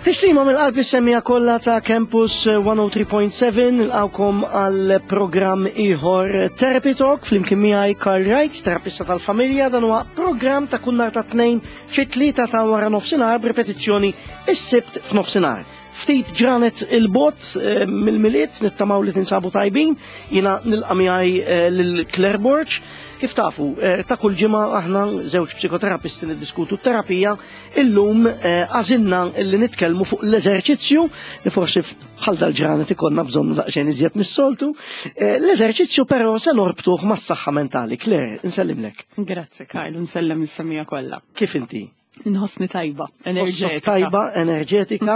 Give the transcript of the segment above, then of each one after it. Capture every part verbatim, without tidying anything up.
Tislima mill-qalb is-semmiegħa kollha ta' Campus mija u tlieta punt seba', nilqgħukom għal programm ieħor, Therapy Talk, flimkien miegħi Carl Wright, terapista tal-familja. Dan huwa programm ta' kull nhar ta' Tnejn fit-tlieta ta' wara nofsinhar, b'ripetizzjoni is-Sibt f'nofsinhar. Ftit ġranet 'il bogħod eh, mill-Milied, nittamaw li tinsabu tajbin. Jiena nilqa' miegħi eh, lil Claire Borg. Kif tafu, eh, ta' kull ġimgħa aħna żewġ psikoterapisti niddiskutu t-terapija. Illum għażilna illi nitkellmu fuq l-eżerċizzju, li forsi bħal dal-ġranet ikollna bżonn daqsxejn iżjed mis-soltu. L-eżerċizzju però se norbtuh mas-saħħa mentali. Claire, insellimlek. Grazzi, Karl, nsellem is-semmiegħa kollha. Kif inti? Nħossni tajba, enerġetika. Tajba, enerġetika.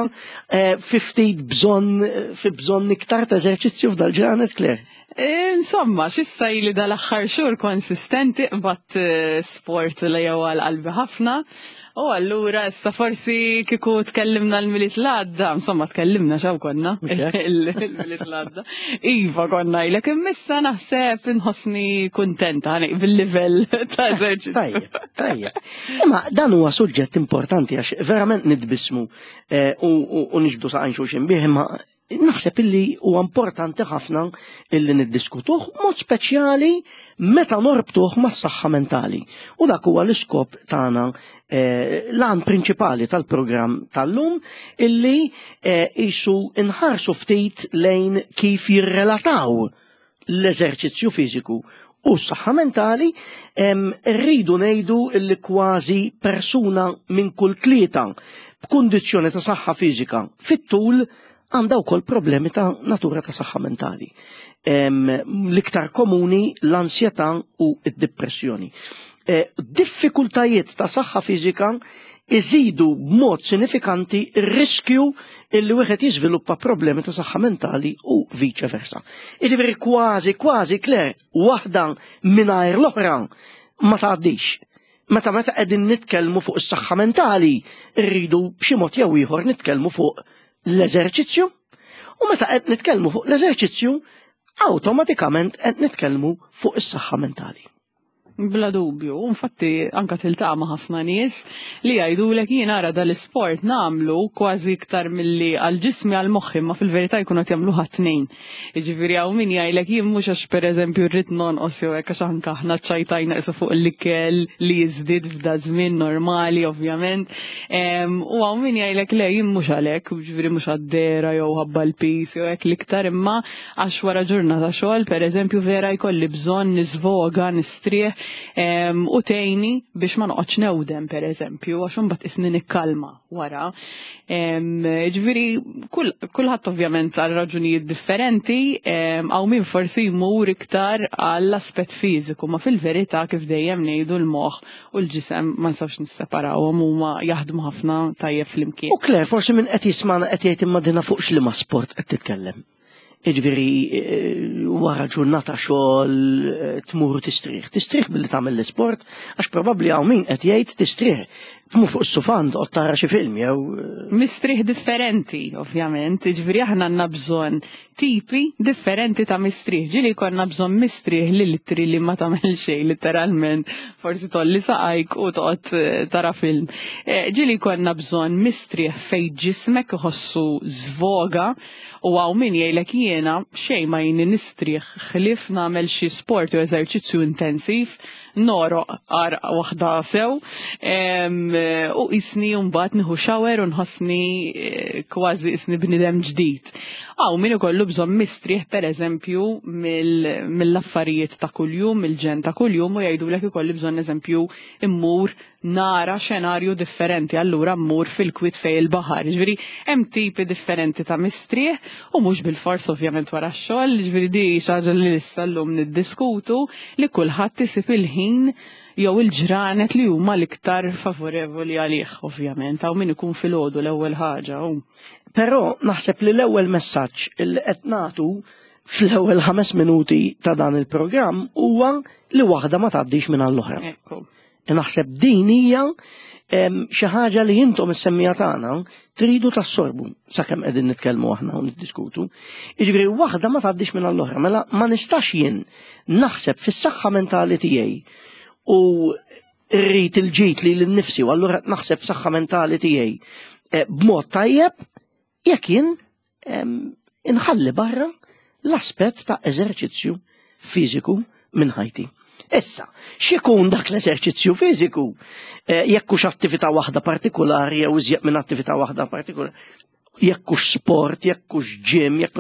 Fi ftit bżonn, fi bżonn iktar ta' eżerċizzju f'dal-ġranet, Claire? Insomma, xissa ili dal-aħħar xhur konsistenti, bat sport li jew għal qalbi ħafna. U allura issa forsi kieku tkellimna l-Milied l-għadda, insomma, tkellimna xaw konna il-Milied l-għadda. Iva, konna ilek immissa naħseb nħossni kuntenta bil-livell ta' eżerċizzju. Tajjeb, tajjeb. Imma dan huwa suġġett importanti għax verament nitbismu u niġbdu saqajn xulxin bih, imma naħseb illi huwa importanti ħafna illi niddiskutuh, mod speċjali meta norbtuh mas-saħħa mentali. U dak huwa l-iskop tagħna, l-għan prinċipali tal-programm tal-lum, illi jisu inħarsu ftit lejn kif jirrelataw l-eżerċizzju fiżiku u s-saħħa mentali. Rridu ngħidu illi kważi persuna minn kull tlieta b'kundizzjoni ta' saħħa fiżika fit-tul għandha wkoll problemi ta' natura ta' saħħa mentali. L-iktar komuni l-ansjetà u id-depressjoni. Diffikultajiet ta' saħħa fiżika iżidu b'mod sinifikanti r-riskju illi wieħed jiżviluppa problemi ta' saħħa mentali u vice versa. Jiġifieri kważi, kważi, Claire, waħda mingħajr l-oħra ma tgħaddix. Meta meta qegħdin nitkellmu fuq is-saħħa mentali, rridu b'xi mod jew ieħor nitkellmu fuq l-eżerċizzju, u meta qed nitkellmu fuq l-eżerċizzju, awtomatikament qed nitkellmu fuq is-saħħa mentali. Bla dubju, infatti anka tiltaqa' ma' ħafna nies li jgħidulek: "Jien ara dal-isport nagħmlu kważi iktar milli għal ġismi għal moħħi", ma fil-verità jkunu qed jagħmlu tnejn. Jiġifieri hawn min jgħidlek: "Jien mhux għax pereżempju rrid nonqos jew hekk", għax anke aħna ċajtajna qisu fuq l-ikel li jiżdied f'da żmien normali, ovvjament. U hawn min jgħidlek: "Le, jien mhux għalhekk, jiġifieri mhux għad-dehra jew ħabba l-piż jew hekk l-iktar, imma għax wara ġurnata xogħol, pereżempju, vera jkolli bżonn nisvoga, nistrieħ u tgħinni biex ma noqgħodx newdem, pereżempju, għax imbagħad isni nikkalma wara." Ġifieri kulħadd ovvjament għal raġunijiet differenti, hawn min forsi jmur iktar għall-aspett fiżiku, ma fil-verità, kif dejjem ngħidu, l-moħħ u l-ġisem ma nistgħux nisseparawhom, huma jaħdmu ħafna tajjeb flimkien. U Claire, forsi min qed jismana qed jgħid: "Imma dina fuq x'liema sport qed titkellem? Jiġifieri, wara ġurnata xogħol tmur tistrieħ. Tistrieħ billi tagħmel l-isport?" Għax probabbli hawn min qed jgħid: "Tistrieħ, tmur fuq is-sufan toqgħod tara xi film jew." Mistrieħ differenti, ovvjament, ġifieri aħna għandna bżonn tipi differenti ta' mistrieħ. Ġieli jkollna bżonn mistrieħ li litri li ma tagħmel xejn, literalment, forsi tgħolli saqajk u toqgħod tara film. Ġieli jkollna bżonn mistrieħ fejn ġismek iħossu żvoga, u hawn min jgħidlek: "Jiena xejn ma jgħinni nistrieħ ħlief nagħmel xi sport u eżerċizzju intensiv, nogħroq għarqa waħda sew, u jisni mbagħad nieħu shower u nħossni kważi isni bniedem ġdid." Hawn min ikollu bżonn mistrieħ, pereżempju, mill-affarijiet ta' kuljum, mill-ġen ta' kuljum, u jgħidulek: "Ikolli bżonn, eżempju, immur nara xenarju differenti, allura mmur fil-kwit fejn il-baħar." Ġifieri hemm tipi differenti ta' mistrieħ u mhux bil-fors ovvjament wara x-xogħol, ġifieri di xi ħaġa li issa llum niddiskutu, li kulħadd isib il-ħin jew il-ġranet li huma l-iktar favorevoli għalih, ovvjament, hawn min ikun filgħodu l-ewwel ħaġa. Però naħseb li l-ewwel messaġġ li qed nagħtu fl-ewwel ħames minuti ta' dan il-programm huwa li waħda ma tgħaddix minn l-oħra. Ekku. Naħseb din hija xi ħaġa li intom is-semmiegħa tagħna tridu tassorbu sakemm qegħdin nitkellmu aħna u niddiskutu. Jiġifieri waħda ma tgħaddix minn l-oħra, mela ma nistax jien naħseb fis-saħħa mentali tiegħi u rrid il-ġid lili nnifsi u allura naħseb f'saħħa mentali tiegħi eh, b'mod tajjeb jekk jien inħalli barra l-aspett ta' eżerċizzju fiżiku minn ħajti. Issa, x'ikun dak l-eżerċizzju fiżiku? Eh, jekk hux attività waħda partikolari jew iżjed minn attività waħda partikolari, jekk hux sport, jekk hux gym, jekk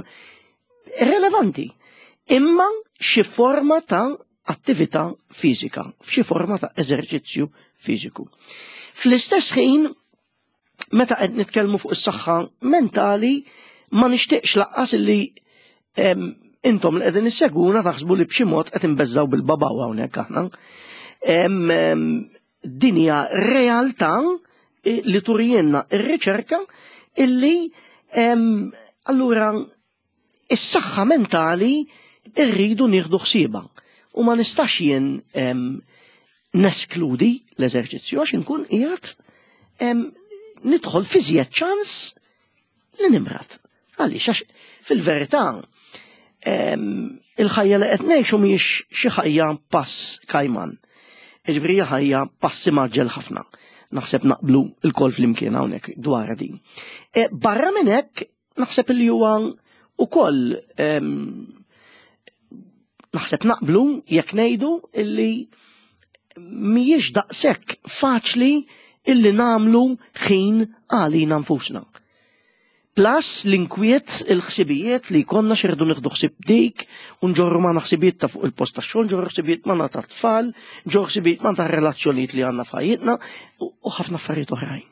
irrelevanti. Imma xi forma ta' attività fiżika, f'xi forma ta' eżerċizzju fiżiku. Fl-istess ħin, meta qed nitkellmu fuq is-saħħa mentali, ma nixtieqx lanqas illi intom li qegħdin issegwuna taħsbu li b'xi mod qed inbeżżaw bil-babaw hawnhekk aħna. Din hija realtà li turijenna ir-riċerka illi allura is-saħħa mentali irridu nieħdu ħsiebha. U ma nistax jien neskludi l-eżerċizzju għax inkun qiegħed nidħol fi żjed ċans li nimrad. Għaliex għax fil-verità il-ħajja li qed ngħixu mhijiex xi ħajja pass kajman. Jiġifieri ħajja passi mgħaġġel ħafna. Naħseb naqblu lkoll flimkien hawnhekk dwar din. E, barra minn hekk naħseb li huwa ukoll naħseb naqblu jekk ngħidu illi mhijiex daqshekk faċli illi nagħmlu ħin għalina nfusna. Plus l-inkwiet, il-ħsibijiet li konna xirdu nieħdu ħsieb dik, u nġorru ma ħsibijiet ta' fuq il-post ta' xogħol, nġorru ħsibijiet ma ta' tfal, nġorru ħsibijiet ma ta' relazzjonijiet li għandna f'ħajjitna u ħafna affarijiet oħrajn.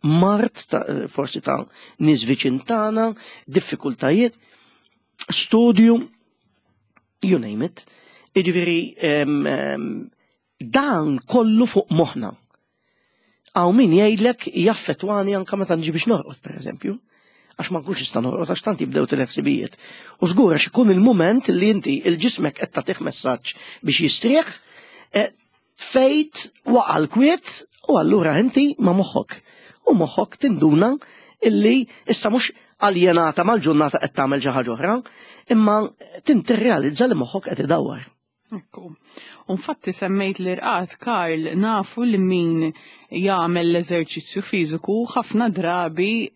Mard ta' forsi ta' nies viċin tagħna, diffikultajiet, studju, you name it. Jiġifieri dan kollu fuq moħħna. Hawn min jgħidlek jaffettwani anka meta nġi biex norqod, per eżempju. Għax ma nkunx nista' norqod għax tant jibdew il-ħsibijiet. U żgur għax ikun il-mument li inti il-ġismek qed tagħtih messaġġ biex jistrieħ, eh, fejt waqa' l-kwiet u allura inti ma' moħħok. U moħħok tinduna illi issa mhux aljenata mal-ġurnata qed tagħmel xi ħaġa oħra, imma tintirrealizza li moħħok qed idawwar. Ekku. Infatti semmejt l-irqad, Karl, nafu li min jagħmel l-eżerċizzju fiżiku ħafna drabi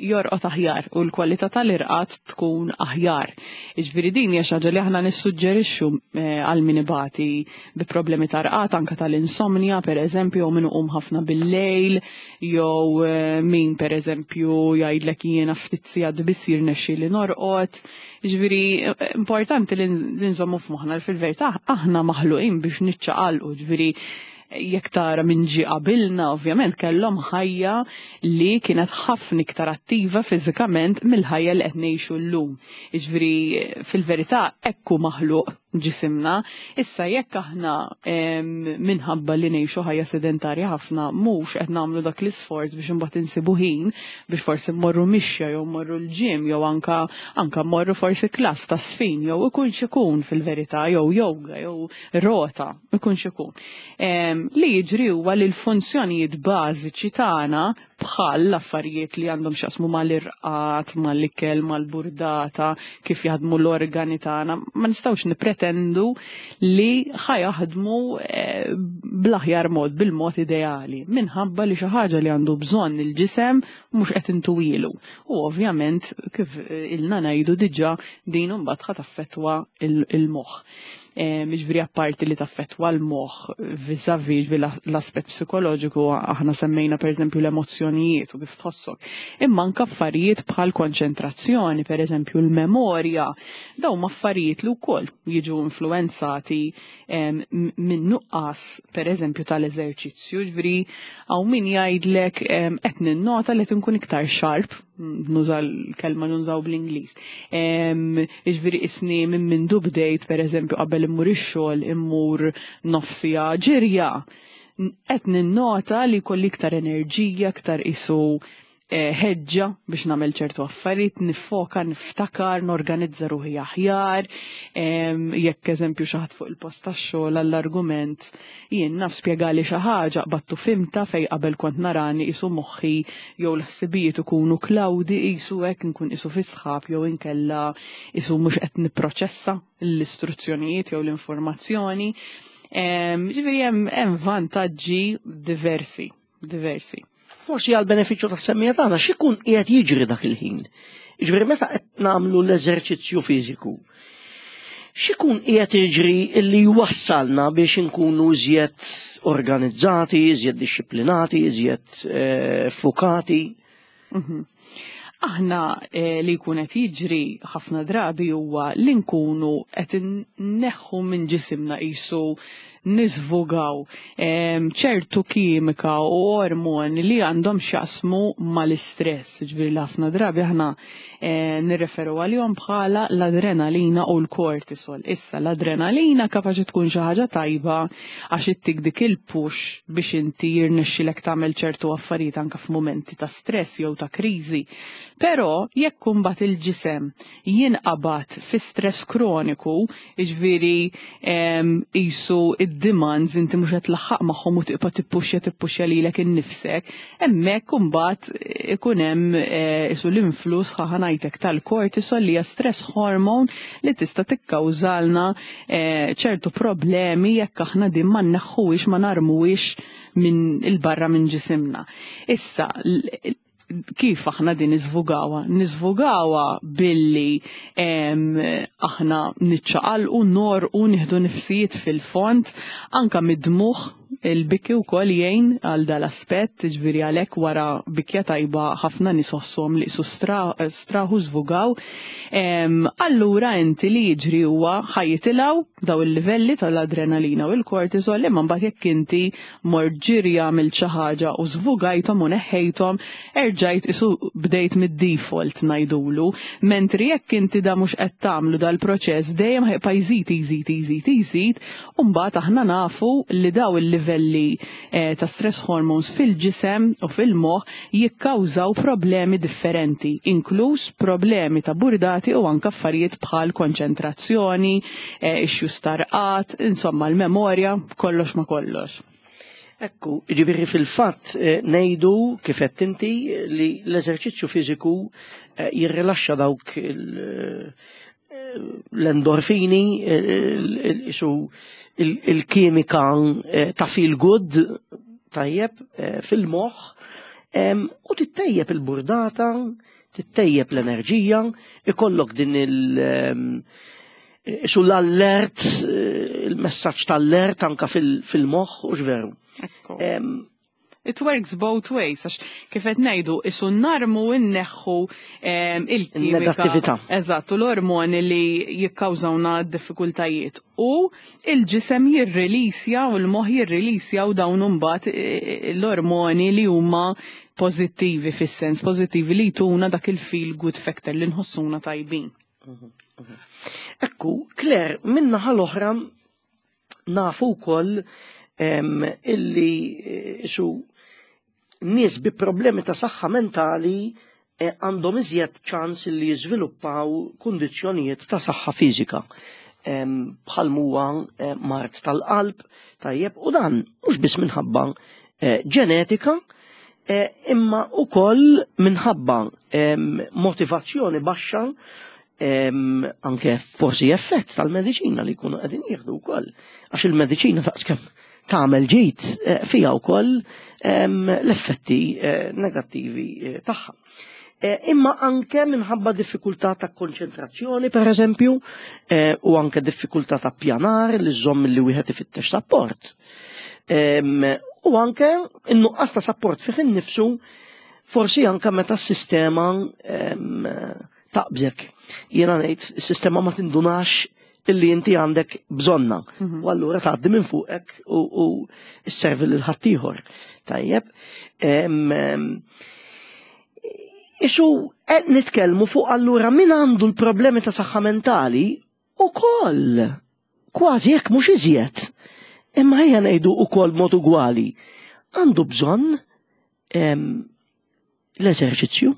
jorqod aħjar u l-kwalità tal-irqad tkun aħjar. Jiġifieri din hija xi ħaġa li aħna nissuġġerixxu eh, għal min ibati bi problemi ta' rqad anke tal-insomnia pereżempju jew min iqum ħafna bil-lejl jew eh, min pereżempju jgħidlek jiena ftit sigħat biss jirnexxieli norqod. Jiġifieri importanti li nżommu f'moħħna li fil-verità aħna maħluqin biex niċċaqalqu, ġifieri jekk tara minn ġie qabilna, ovvjament kellhom ħajja li kienet ħafna iktar attiva fiżikament mill-ħajja li qed ngħixu llum. Jiġifieri fil-verità hekk hu maħluq ġisimna. Issa jekk aħna minħabba li ngħixu ħajja sedentarja ħafna mhux qed nagħmlu dak l-isforz biex imbagħad insibu ħin biex forsi mmorru mixja jew mmorru l-gym jew anka anka mmorru forsi klass ta' żfin jew ikun x'ikun fil-verità jew yoga jew rota ikun x'ikun. Li jiġri huwa li l-funzjonijiet bażiċi tagħna bħal l-affarijiet li għandhom x'jaqsmu mal-irqad, mal-ikel, mal-burdata, kif jaħdmu l-organi tagħna, ma nistgħux nipretendu li ħa jaħdmu eh, bl-aħjar mod, bil-mod ideali, minħabba li xi ħaġa li għandu bżonn il-ġisem mhux qed intuwilu. U ovvjament kif ilna ngħidu diġà din imbagħad ħa taffettwa il-moħħ. Jiġifieri apparti li taffettwa l-moħħ vis-a-vis l-aspett psikoloġiku, aħna semmejna per eżempju l-emozzjonijiet u kif tħossok. Imma anke affarijiet bħal konċentrazzjoni, per eżempju l-memorja, dawn affarijiet li wkoll jiġu influenzati minn nuqqas per eżempju tal-eżerċizzju, ġifieri hawn min jgħidlek qed ninnota li tinkun iktar sharp, nuża l-kelma nużaw bl-Ingliż. Jiġifieri isni minn mindu bdejt per eżempju qabel immur ix-xogħol immur nofs siegħa ġirja. Qed ninnota li kolli iktar enerġija, iktar isu ħeġġa biex nagħmel ċertu affarijiet, nifoka, niftakar, norganizza ruħi aħjar, jekk eżempju xi ħadd fuq il-post tax-xogħol għall-argument jien naf spjegali xi ħaġa qbadtu fimta fej qabel kont narani isu moħħi jew l-ħsibijiet ikunu cloudy isu hekk nkun isu fi sħab jew inkella isu mhux qed nipproċessa l-istruzzjonijiet jew l-informazzjoni. Ġifieri hemm vantaġġi diversi, diversi. Forsi għal benefiċċju tas-semmiegħa tagħna x'ikun qiegħed jiġri dak il-ħin. Ġifieri meta qed nagħmlu l-eżerċizzju fiżiku, x'ikun qiegħed jiġri illi jwassalna biex inkunu iżjed organizzati, iżjed dixxiplinati, iżjed eh, fukati? Mhm. Aħna eh, li jkun qed jiġri ħafna drabi huwa li nkunu qed inneħħu minn ġisimna, qisu niżvugaw ċertu kimika u ormoni li għandhom x'jaqsmu mal-istress. Ġifieri li ħafna drabi aħna eh, nirreferu għalihom bħala l-adrenalina u l-kortisol. Issa l-adrenalina kapaċi tkun xi ħaġa tajba għax ittik dik il-push biex inti jirnexxilek tagħmel ċertu affarijiet anke f'mumenti ta' stress jew ta' kriżi. Però jekk imbagħad il-ġisem jinqabad fi stress kroniku, jiġifieri qisu id-demands inti mhux qed tlaħħaq magħhom u tibqa' tippuxja tippuxja lilek innifsek, hemmhekk imbagħad ikun hemm qisu l-influss, ħa ngħidlek, tal-kortisol li hija stress hormone li tista' tikkawżalna ċertu problemi jekk aħna din ma nneħħuhiex, ma narmuhiex minn il-barra minn ġisimna. Issa, kif aħna din niżvugawha? Niżvugawha billi aħna niċċaqalqu, norqu, nieħdu nifsijiet fil-fond, anka mid-dmugħ, il-biki wkoll jgħin għal dal-aspett, ġifieri għalhekk wara bikja tajba ħafna nies iħossuhom li qisu straħu, żvugaw. Allura inti li jiġri huwa ħa jitilgħu daw il-livelli tal-adrenalina u l-kortisol, imma mbagħad jekk inti mort ġirja għamilt xi ħaġa u żvugajthom u neħħejthom, erġajt qisu bdejt mid-default ngħidulu, mentri jekk inti da mhux qed tagħmlu dal-proċess dejjem ħa jibqa' jżid, jżid, jżid, jżid, u mbagħad aħna nafu li daw il-livelli eh, ta' stress hormones fil-ġisem u fil-moħħ jikkawżaw problemi differenti, inkluż problemi ta' burdati u anka affarijiet bħal konċentrazzjoni, eh, issues ta' rqad, insomma l-memorja, kollox ma kollox. Ekku, ġifieri fil-fatt eh, ngħidu kif qed inti li l-eżerċizzju fiżiku eh, jirrilaxxa dawk l-endorfini, isu il-kimika ta' feel good tajjeb fil-moħħ u tittejjeb il-burdata, tittejjeb l-enerġija, ikollok din il- Su l-allert, il-messaġġ tal-allert anka fil-moħħ u veru. It works both ways, għax kif qed ngħidu qisu narmu nneħħu il-kimika. Negattività. Eżatt, u l-ormoni li jikkawżawna diffikultajiet. U il-ġisem jirrilisja u l-moħħ jirrilisja u dawn imbagħad l-ormoni li huma pożittivi, fis-sens pożittivi li jtuna dak il-feel good factor li nħossuna tajbin. Ekku, Claire, min-naħa l-oħra nafu wkoll illi eh, su nies bi problemi ta' saħħa mentali eh, għandhom iżjed ċans li jiżviluppaw kundizzjonijiet ta' saħħa fiżika bħal huwa eh, mard tal-qalb, tajjeb, u dan mhux biss minħabba ġenetika, imma ukoll minħabba motivazzjoni baxxa, anke forsi effett tal-mediċina li jkunu qegħdin jieħdu wkoll. Għax il-mediċina daqskemm tagħmel ġid eh, fiha wkoll l-effetti eh, negattivi eh, tagħha. Imma anke minħabba diffikultà ta' konċentrazzjoni, per eżempju, u anke diffikultà ta' pjanar li żomm li wieħed ifittex sapport. U anke in-nuqqas ta' sapport fih innifsu, forsi anke meta s-sistema taqbżek. Jiena ngħid is-sistema ma tindunax illi inti għandek bżonna. Mhm. U allura tgħaddi minn fuqek u, u sservi lil ħaddieħor. Tajjeb. Isu qed nitkellmu fuq allura min għandu l-problemi ta' saħħa mentali ukoll kważi, jekk mhux iżjed. Imma ejja ngħidu ukoll mod ugwali. Għandu bżonn l-eżerċizzju.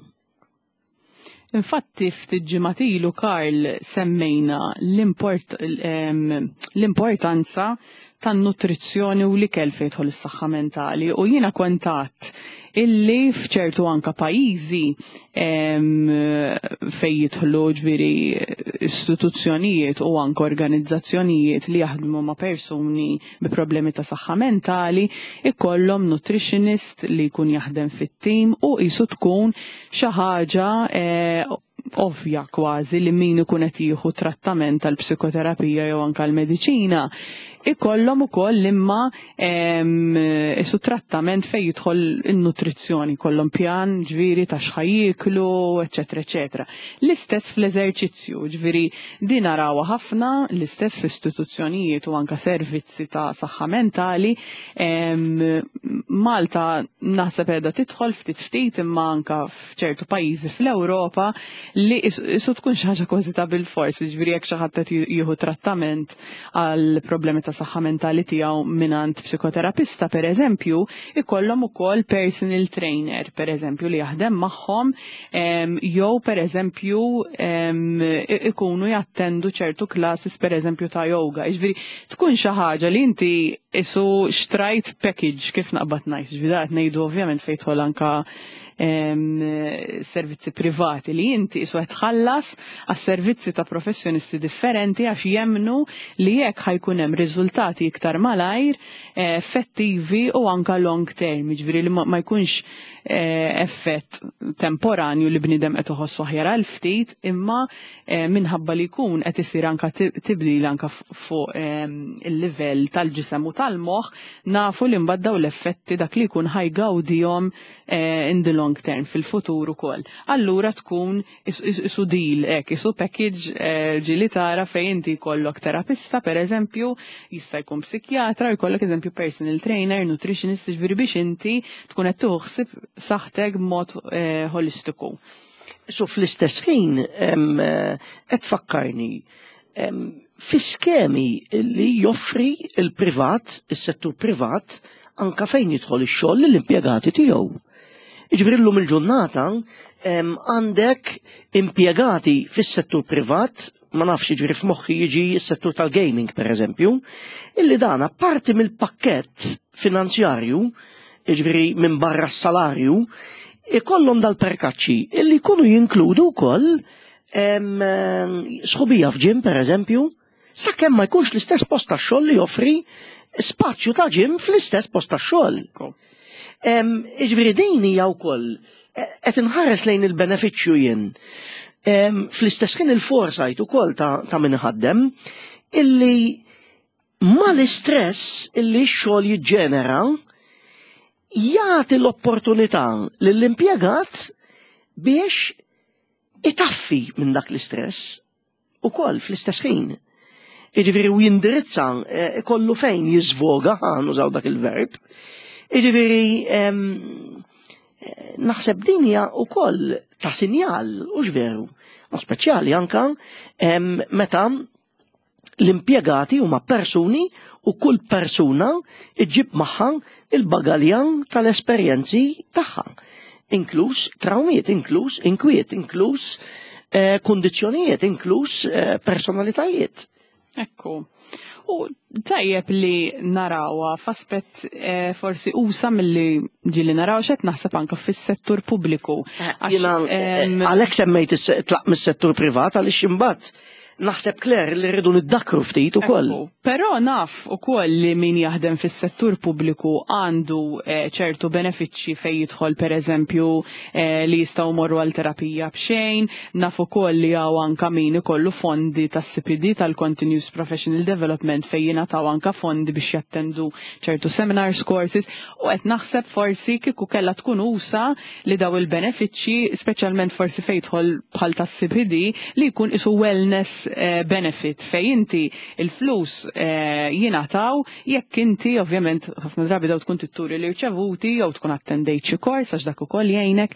Infatti ftit ġimgħat ilu, Karl, semmejna l-importanza tan-nutrizzjoni u l-ikel fejn jidħol is-saħħa mentali, u jiena kont għedt illi f'ċertu anka pajjiżi fejn jidħlu, ġifieri, istituzzjonijiet u anka organizzazzjonijiet li jaħdmu ma' persuni bi problemi ta' saħħa mentali ikollhom nutritionist li jkun jaħdem fit-tim u qisu tkun xi ħaġa eh, ovvja kważi li min ikun qed jieħu trattament tal-psikoterapija jew anka l-mediċina ikollhom ukoll imma isu trattament fejn jidħol in-nutrizzjoni, kollhom pjan, ġifieri, ta' x'ħa jieklu, eċetera, eċetera. L-istess fl-eżerċizzju, ġifieri, din narawha ħafna, l-istess fl-istituzzjonijiet u anka servizzi ta' saħħa mentali. Malta naħseb qiegħda tidħol ftit ftit, imma anka f'ċertu pajjiżi fl-Ewropa li isu tkun xi ħaġa kważi ta' bil-fors, ġifieri, jekk xi ħadd qed jieħu trattament għal problemi ta' saħħa mentali tiegħu mingħand psikoterapista, per eżempju, ikollhom ukoll personal trainer, per eżempju, li jaħdem magħhom, jew per eżempju ikunu jattendu ċertu classes, per eżempju, ta' yoga. Ġifieri tkun xi ħaġa li inti isu xtrajt package, kif naqbad ngħid, ġifieri qed ngħidu ovvjament fejn tidħol anka servizzi privati li inti isu qed tħallas għas-servizzi ta' professjonisti differenti għax jemmnu li jekk ħa jkun hemm riżultati iktar malajr, eh, effettivi u anka long term, ġifieri li ma jkunx eh, effett temporanju li bnidem qed iħossu aħjar għal ftit, imma eh, minħabba li jkun qed isir anka tibdil anka fuq il-livell tal-ġisem u tal-moħħ, nafu li mbagħad daw l-effetti dak li jkun ħa jgawdihom in the long term fil-futur ukoll. Allura tkun isu deal hekk, isu package ġieli tara fejn inti jkollok terapista, per eżempju, jista' jkun psikjatra, jkollok eżempju personal trainer, nutritionist, ġifieri biex inti tkun qed tuħsib saħtek b'mod eh, holistiku. So fl-istess ħin qed fakkarni fi skemi li joffri il-privat, is-settur privat, anka fejn jidħol ix-xogħol lill-impjegati tiegħu. Jiġifieri llum il-ġurnata għandek impjegati fis-settur privat, ma nafx, jiġifieri f'moħħi jiġi s-settur tal-gaming, per eżempju, illi dana parti mill-pakkett finanzjarju, jiġifieri minn barra s-salarju, ikollhom dal-perkaċċi illi jkunu jinkludu wkoll sħubija f'gym, per eżempju, sakemm ma jkunx l-istess post tax-xogħol li joffri spazju ta' gym fl-istess post tax-xogħol. Jiġifieri din hija wkoll qed inħares lejn il-benefiċċju jien. Fl-istess ħin il-foresight ukoll ta', ta min ħaddem illi mal-istress illi x-xogħol jiġġenera jagħti l-opportunità lill-impjegat biex itaffi minn dak l-istress ukoll fl-istess ħin. Jiġifieri u jindirizza, eh, kollu fejn jiżvoga, nużaw dak il-verb. Jiġifieri naħseb din hija wkoll ta' sinjal, u veru, u speċjali anka meta l-impjegati huma persuni u kull persuna iġib magħha il-bagalja tal-esperjenzi tagħha, inkluż trawmiet, inkluż inkwiet, inkluż eh, kondizzjonijiet, inkluż eh, personalitajiet. Ekku. U tajjeb li narawha f'aspett eh, forsi usa milli ġieli naraw xet naħseb anka fis-settur pubbliku. Jiena għalhekk semmejt tlaq mis-settur privat, għaliex imbagħad naħseb, Claire, li rridu niddakru ftit ukoll. Però naf ukoll li min jaħdem fis-settur pubbliku għandu eh, ċertu benefiċċji fejn jidħol, per eżempju, eh, li jistgħu morru għal terapija b'xejn, naf ukoll li hawn anka min ikollu fondi tas-C P D, tal-Continuous Professional Development, fejn jingħataw anka fondi biex jattendu ċertu seminars, courses, u qed naħseb forsi kieku kellha tkun usa li daw il-benefiċċji, speċjalment forsi fejn jidħol bħal tas-C P D, li jkun isu wellness eh, benefit fej inti il-flus eh, jingħataw jekk inti ovvjament ħafna drabi daw tkun titturi li rċevuti jew tkun attendejt xi kors, għax dak ukoll jgħinek,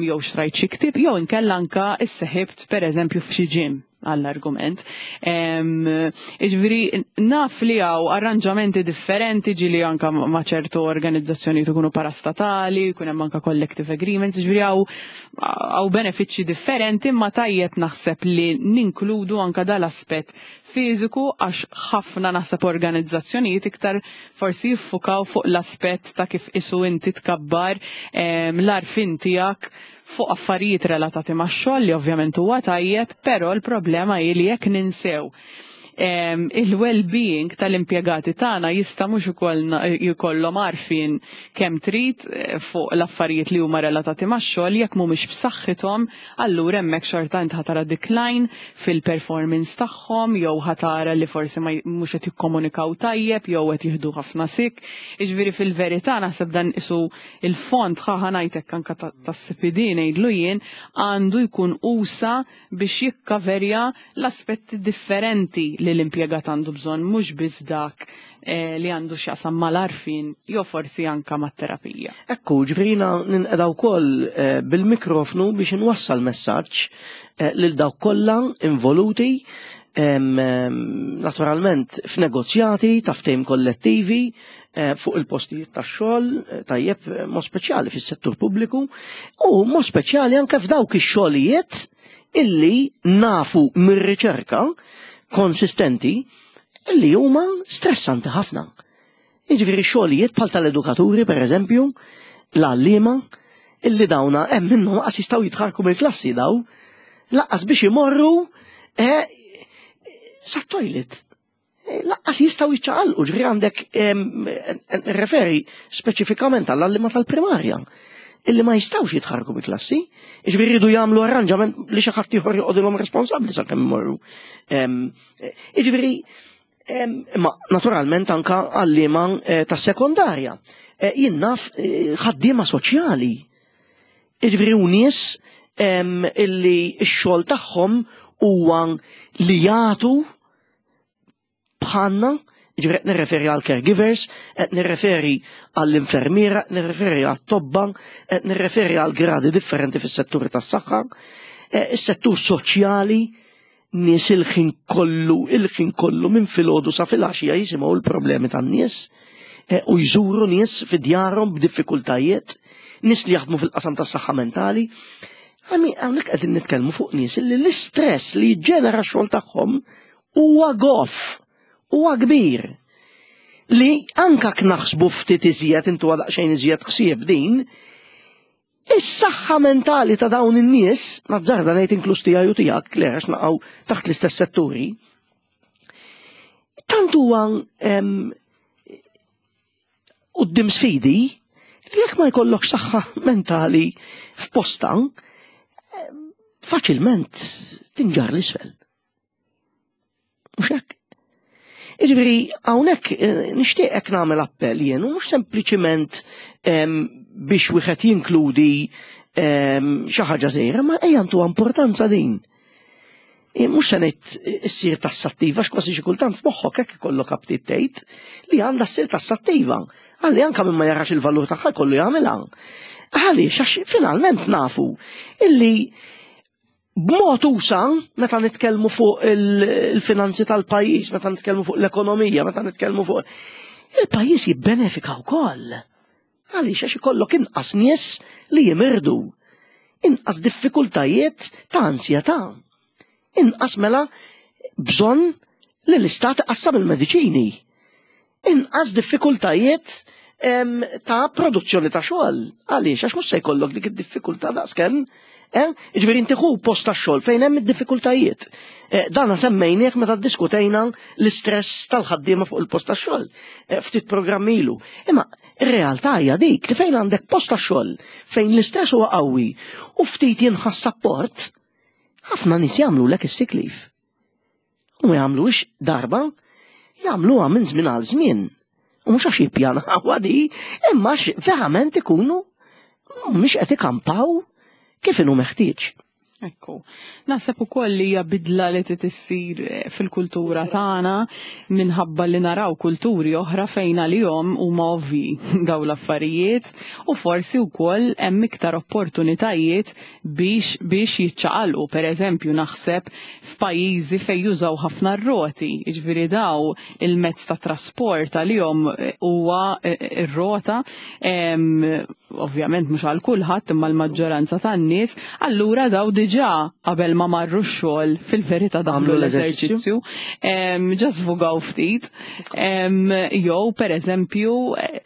jew xtrajt xi ktieb jew inkella anka isseħibt, per eżempju, f'xi gym. għall-argument. Ġifieri, naf li hawn arranġamenti differenti, ġieli anka ma' ċertu organizzazzjoni ikunu parastatali, jkun hemm anka collective agreements, ġifieri hawn hawn benefiċċji differenti, ma tajjeb naħseb li ninkludu anka dal-aspett fiżiku, għax ħafna naħseb organizzazzjonijiet iktar forsi jiffukaw fuq l-aspett ta' kif isu inti tkabbar l-għarfien tiegħek fuq affarijiet relatati ma' xogħol, li ovvjament huwa tajjeb, però l-problema hi li jekk ninsew il-well-being tal-impjegati tagħna, jista' mhux jkollhom għarfien kemm trid eh, fuq l-affarijiet li huma relatati max-xogħol, jekk mhumiex b'saħħithom, allura hemmhekk xorta int ħa tara decline fil-performance tagħhom jew ħa tara li forsi ma mhux qed jikkomunikaw tajjeb jew qed jieħdu ħafna sick. Jiġifieri fil-verità naħseb dan isu il-fond, ħa ngħidlek, anka tas-C P D ngħidlu jien, għandu jkun usa biex jikkaverja l-aspetti differenti li l-impjegat għandu bżonn, mhux biss dak eh, li għandu x'jaqsam mal-għarfien jew forsi anka mat-terapija. Ekku, ġifieri ninqeda wkoll eh, bil-mikrofnu biex inwassal messaġġ eh, lil dawk kollha involuti naturalment f'negozjati ta' ftehim kollettivi fuq il-postijiet tax-xogħol, tajjeb, mod speċjali fis-settur pubbliku u mod speċjali anke f'dawk ix-xogħlijiet illi nafu mir-riċerka konsistenti li huma stressanti ħafna. Jiġifieri xogħlijiet bħal tal-edukaturi, per eżempju, l-għalliema, illi dawna hemm minnhom qas jistgħu jitħarku mill-klassi daw, lanqas biex imorru eh, sa toilet. Eh, lanqas jistgħu jiċċaqalqu, ġifieri għandek referi speċifikament għall-għalliema tal-primarja illi ma jistgħux jitħarku bi klassi, ġifieri jridu jagħmlu arranġament li xi ħadd ieħor joqogħdilhom responsabbli sakemm imorru. Jiġifieri, ma naturalment anka għalliema eh, tas-sekondarja. Eh, jien naf eh, ħaddiema soċjali. Jiġifieri u nies illi x-xogħol tagħhom huwa li jagħtu bħalna. Ġifieri qed nirreferi għal caregivers, qed nirreferi għall-infermiera, qed nirreferi għall-tobba, qed nirreferi għal gradi differenti fis-setturi tas-saħħa, eh, is-settur soċjali, nies il-ħin kollu, il-ħin kollu minn filgħodu sa filgħaxija jisimgħu l-problemi tan-nies eh, u jżuru nies fi djarhom b'diffikultajiet, nies li jaħdmu fil-qasam tas-saħħa mentali. Għami, hawnhekk qegħdin nitkellmu fuq nies li l-istress li jiġġenera x-xogħol tagħhom huwa goff, huwa kbir. Li anka naħsbu ftit iżjed, intu daqsxejn iżjed ħsieb din, is-saħħa mentali ta' dawn in-nies, nazzarda ngħid inkluż tiegħi u tiegħek, li għax naqgħu taħt l-istess setturi, tant huwa quddiem sfidi li jekk ma jkollokx saħħa mentali f'posta, faċilment tinġar l-isfel. Mhux hekk? Jiġifieri, hawnhekk eh, nixtieq hekk nagħmel appell jien, u mhux sempliċiment biex wieħed jinkludi xi ħaġa żgħira, ma ejja ntu importanza din. E, mhux se ngħid issir tassattiva, x'kważi xi kultant f'moħħok hekk ikollok aptit tgħid li għandha ssir tassattiva. Għalli anka minn ma jarax il-valur tagħha kollu jagħmilha. Għaliex, għax finalment nafu illi b'mod usa, meta nitkellmu fuq il-finanzi tal-pajjiż, meta nitkellmu fuq l-ekonomija, meta nitkellmu fuq il-pajjiż, jibbenefika wkoll. Għaliex, għax ikollok inqas nies li jimirdu, inqas diffikultajiet ta' ansjetà, inqas mela bżonn li l-istat qassam il-mediċini, inqas diffikultajiet ta' produzzjoni ta' xogħol. Għaliex, għax mhux se jkollok dik id-diffikultà daqskemm. Eh? Ġifieri inti ħu post ta' xogħol fejn hemm id-diffikultajiet. Eh, dana semmejnieh meta ddiskutejna l-istress tal-ħaddiema fuq il-post ta' xogħol eh, ftit programm ilu. Imma ir-realtà hija dik li fejn għandek post ta' xogħol fejn l-istress huwa qawwi u ftit jinħass support, ħafna nies jagħmlu lek is-sick leave. U ma jagħmlux darba, jagħmluha minn żmien għal żmien. U mhux għax jippjanaw di, imma verament ikunu mhux qed ikampaw kif inhu meħtieġ. Ekku. Naħseb ukoll li hija bidla li trid issir eh, fil-kultura tagħna minħabba li naraw kulturi oħra fejn għalihom huma ovvi daw l-affarijiet u forsi wkoll hemm iktar opportunitajiet biex biex jiċċaqalqu. Pereżempju naħseb f'pajjiżi fejn jużaw ħafna r-roti, jiġifieri daw il-mezz ta' trasport għalihom eh, huwa eh, ir-rota, em, ovvjament mhux għal kulħadd imma l-maġġoranza tan-nies, allura daw diġà qabel ma marru x-xogħol fil-verità daħlu Għamlu l-eżerċizzju. l-eżerċizzju, em, ġa żvugaw ftit. Em, Jew pereżempju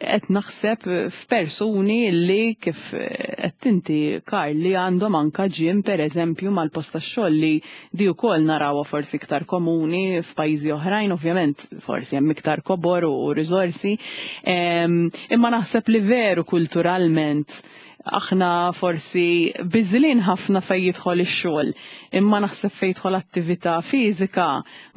qed naħseb f'persuni li kif qed inti Karl li għandhom anka gym pereżempju mal-post tax-xogħol li di wkoll narawha forsi iktar komuni f'pajjiżi oħrajn, ovvjament forsi hemm iktar kobor u riżorsi. Em, Imma naħseb li veru kulturalment aħna forsi biżlin ħafna fej jidħol ix-xogħol, imma naħseb fej jidħol attività fiżika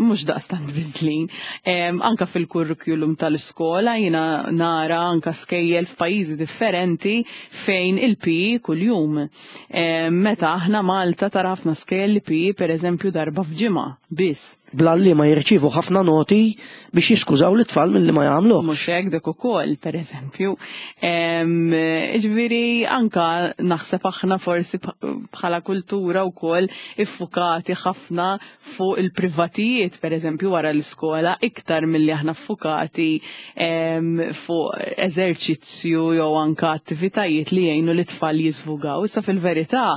mhux daqstant biżlin. Em, Anka fil-kurrikulum tal-iskola jiena nara anka skejjel f'pajjiżi differenti fejn il-P E kuljum. Em, Meta aħna Malta tara ħafna skejjel li P E pereżempju darba f'ġimgħa biss. Blalli ma jirċivu ħafna noti biex jiskużaw l-tfal mill-li ma jagħmlu. Mhux hekk dik ukoll, pereżempju. Em, Ġifieri anka naħseb aħna forsi bħala kultura wkoll iffukati ħafna fuq il-privatijiet, pereżempju wara l-iskola, iktar milli aħna ffukati em, fuq eżerċizzju jew anka attivitajiet li jgħinu l-tfal jiżvugaw. Issa fil-verità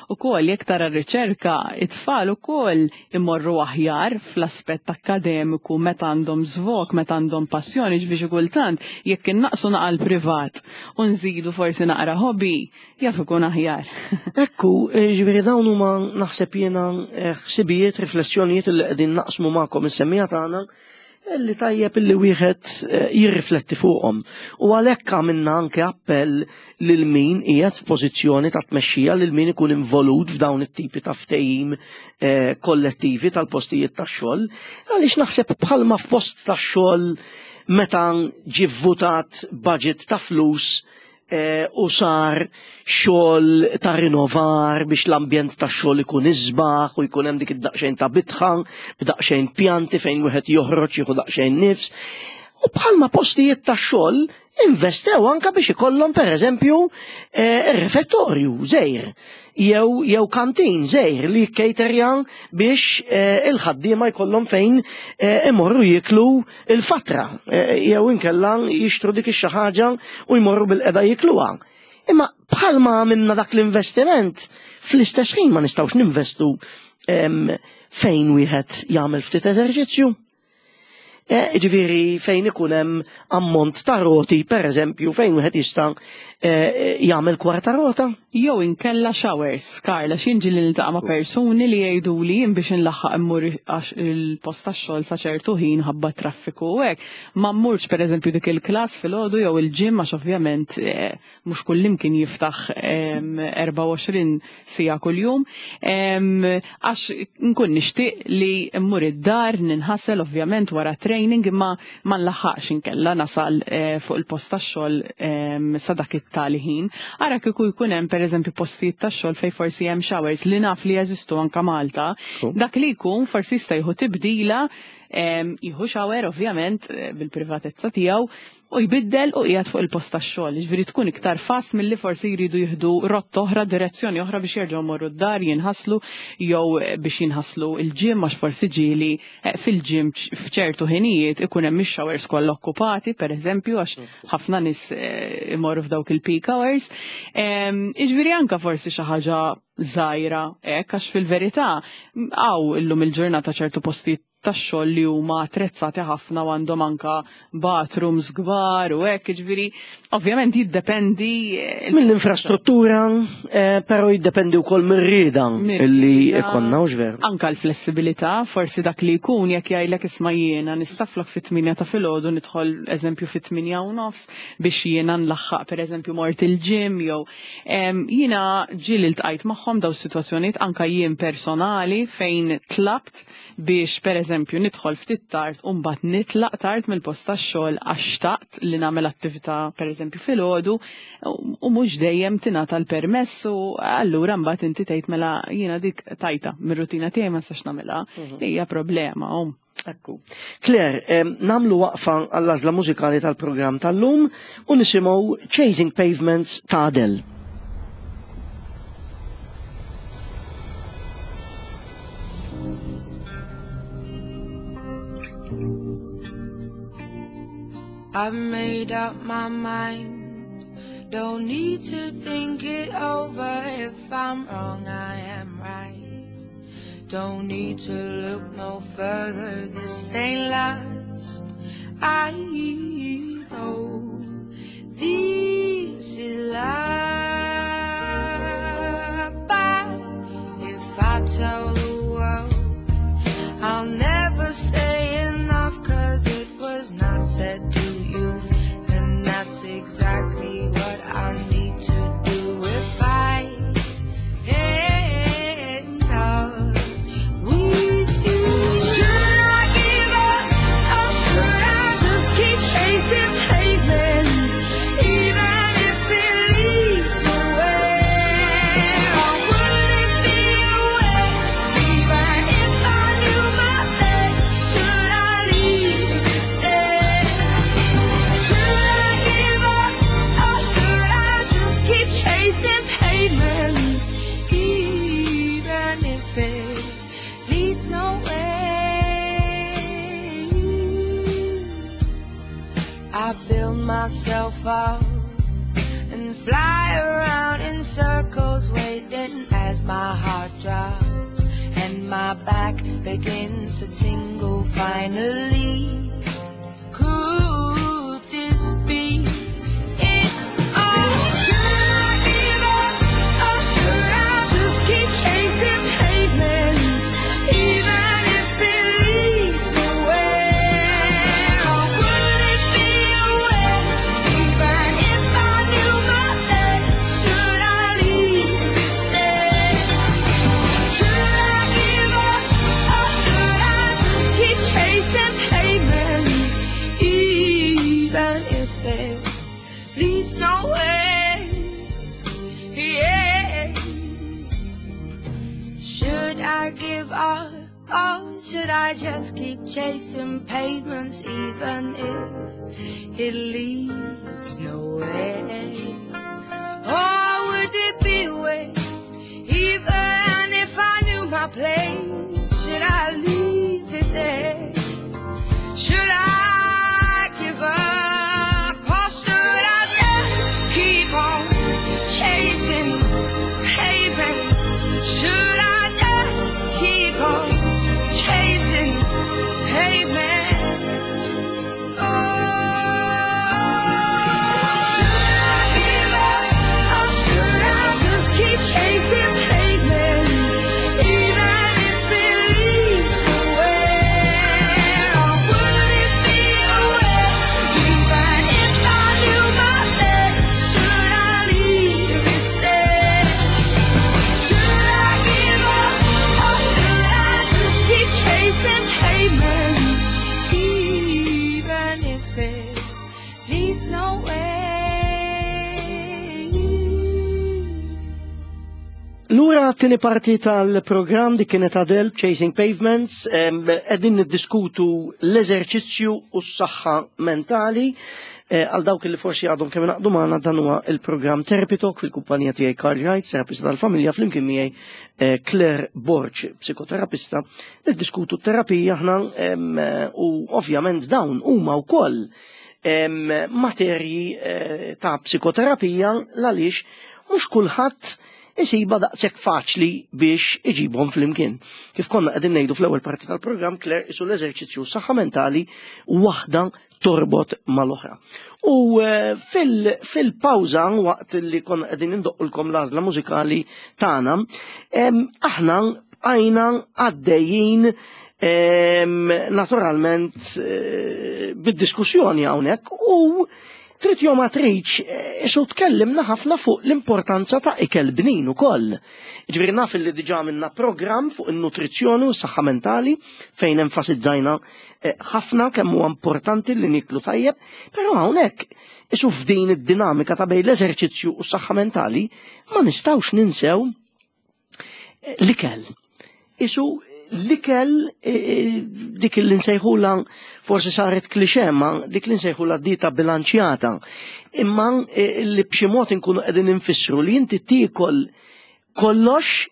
ukoll jekk tara r-riċerka, it-tfal ukoll imorru aħjar fl-aspett akkademiku meta għandhom żvog, meta għandhom passjoni, ġifieri kultant jekk innaqsu naqa l-privat u nżidu forsi naqra hobby, jaf ikun aħjar. Ekku, eh, ġifieri dawn huma naħseb jiena eh, ħsibijiet, riflessjonijiet li qegħdin naqsmu magħkom is-semmiegħa tagħna li tajjeb illi wieħed eh, jirrifletti fuqhom. U għalhekk għamilna anke appell lil min qiegħed f'pożizzjoni ta' tmexxija, lil min ikun involut f'dawn it-tipi ta' ftehim eh, kollettivi tal-postijiet tax-xogħol, għaliex naħseb bħalma f'post tax-xogħol meta ġie votat budget ta' flus eh, u sar xogħol ta' rinnovar biex l-ambjent ta' xogħol ikun isbaħ u jkun hemm dik id-daqsxejn ta' bitħa, b'daqsxejn pjanti fejn wieħed joħroġ jieħu daqsxejn nifs. U bħalma postijiet ta' xogħol investew anka biex ikollhom pereżempju eh, refettorju żgħir jew jew kantin żgħir li caterja biex eh, il-ħaddiema jkollhom fejn eh, imorru jiklu il-fatra eh, jew inkella jixtru dik ix-xi ħaġa u jmorru bil-qeda jikluha. Imma bħalma għamilna dak l-investiment, fl-istess ħin ma nistgħux ninvestu em, fejn wieħed jagħmel ftit eżerċizzju. Eh, Ġifieri fejn ikun hemm ammont ta' roti, per eżempju, fejn wieħed jista' eh, jagħmel kwarta rota. Jew inkella showers, Karla, xinġi li niltaqa' ma' persuni li jgħidu li jien biex nlaħħaq immur għax il-post tax-xogħol sa ċertu ħin ħabba traffiku u hekk. Ma mmurx pereżempju dik il-klass filgħodu jew il-gym għax ovvjament eh, mhux kullimkien jiftaħ em, erbgħa u għoxrin siegħa kuljum. Em, Għax nkun nixtieq li mmur id-dar ninħasel ovvjament wara training imma ma nlaħħaqx inkella nasal eh, fuq il-post tax-xogħol em, sa dak it-tali ħin. Ara kieku jkun hemm pereżempju postijiet tax-xogħol fejn forsi hemm showers li naf li jeżistu anka Malta, dak li jkun forsi jista' jieħu tibdila em, jieħu shower ovvjament eh, bil-privatezza tiegħu u jbiddel u qiegħed fuq il-post tax-xogħol. Ġifieri tkun iktar fast milli forsi jridu jieħdu rotta oħra, direzzjoni oħra biex jerġgħu morru d-dar jinħaslu jew biex jinħaslu il-gym għax forsi ġieli eh, fil-gym f'ċertu ħinijiet ikun hemm ix-showers kollha okkupati pereżempju għax ħafna nies eh, imorru f'dawk il-peak hours. Em, Jiġifieri anka forsi xi ħaġa żgħira hekk għax fil-verità hawn illum il-ġurnata ċertu postijiet tax-xogħol li huma attrezzati ħafna u għandhom anka bathrooms kbar u hekk, jiġifieri ovvjament jiddependi eh, Mill-infrastruttura, eh, però jiddependi wkoll mir-rieda illi Mir-rieda. ikonna u veru. Anka l-flessibilità, forsi dak li jkun jekk jgħidlek isma' jiena nistaflok fit-tmienja ta' filgħodu nidħol eżempju fit-tmienja u nofs biex jiena nlaħħaq pereżempju mort il-gym jew em, jiena ġieli ltqajt magħhom daw sitwazzjonijiet anka jien personali fejn tlabt biex pereżempju eżempju nidħol ftit tard u mbagħad nitlaq tard mill-post tax-xogħol għax xtaqt li nagħmel attività pereżempju filgħodu u mhux dejjem tingħata l-permess u allura mbagħad inti tgħid mela jiena dik tajta mir-rutina tiegħi ma nistax nagħmilha mhm. li hija problema. Ekku. Claire, nagħmlu waqfa għall-għażla mużikali tal-programm tal-lum u nisimgħu Chasing Pavements ta' Adele. I've made up my mind, don't need to think it over. If I'm wrong, I am right. Don't need to look no further, this ain't last. I know this is love. But if I tell the world, I'll never say enough, 'cause it was not said to you, and that's exactly what I need to do if I end up with you. Should I give up or should I just keep chasing pavements, even if it leads nowhere? Or would it be a waste, even if I knew my fate? Should I leave it there? Should I give up or should I just keep chasing pavements, even if it leads nowhere? I build myself up and fly around in circles, waiting as my heart drops and my back begins to tingle. Finally, could this be it? Oh, should I give up or should I just keep chasing pavements, even if it leads nowhere? Or would it be a waste, even if I knew my fate? Should I leave it there? Should I give up or should I just keep chasing pavements, even if it leads nowhere? Yeah. Should I give up or should I just keep chasing pavements, even if it leads nowhere? Or would it be a waste, even if I knew my place? Should I leave it there? Should I give up or should I just keep on chasing pavements? Should I just keep on chasing pavements? Oh, should I give up or should I just keep chasing pavements, even if it leads nowhere? Or would it be a waste, even if I knew my fate? Should I leave it there? Should I give up or should I just keep chasing pavements, even if it leads nowhere? Lura t-tieni parti tal-programm di kienet Adele Chasing Pavements, qegħdin niddiskutu l-eżerċizzju u s-saħħa mentali. Għal dawk li forsi għadhom kemm ingħaqdu magħna, dan huwa il-programm Therapy Talk fil-kumpanija tiegħi Carl Wright, terapista tal-familja, flimkien miegħi Claire Borg, psikoterapista. Niddiskutu t-terapija aħna u ovvjament dawn huma wkoll materji ta' psikoterapija għaliex mhux kulħadd isiba daqshekk faċli biex iġibhom flimkien. Kif konna qegħdin ngħidu fl-ewwel parti tal-programm, Claire, isu l-eżerċizzju saħħa mentali waħda torbot mal-oħra. U fil-pawża waqt li konna qegħdin indoqqulkom l-għażla mużikali tagħna, aħna bqajna għaddejjin naturalment bid-diskussjoni hawnhekk u Trid jew ma tridx, eh, isu tkellimna ħafna fuq l-importanza ta' ikel bnin ukoll. Ġifieri naf li diġà minna programm fuq in-nutrizzjoni u s-saħħa mentali fejn enfasizzajna eh, ħafna kemm huwa importanti li niklu tajjeb, però hawnhekk isu f'din id-dinamika ta' bejn l-eżerċizzju u s-saħħa mentali ma nistgħux ninsew eh, l-ikel. Isu l-ikel eh, dik li nsejħula forsi saret klixe ma dik li nsejħula dieta bilanċjata. Imma eh, li b'xi mod inkunu qegħdin infissru li inti tiekol kollox,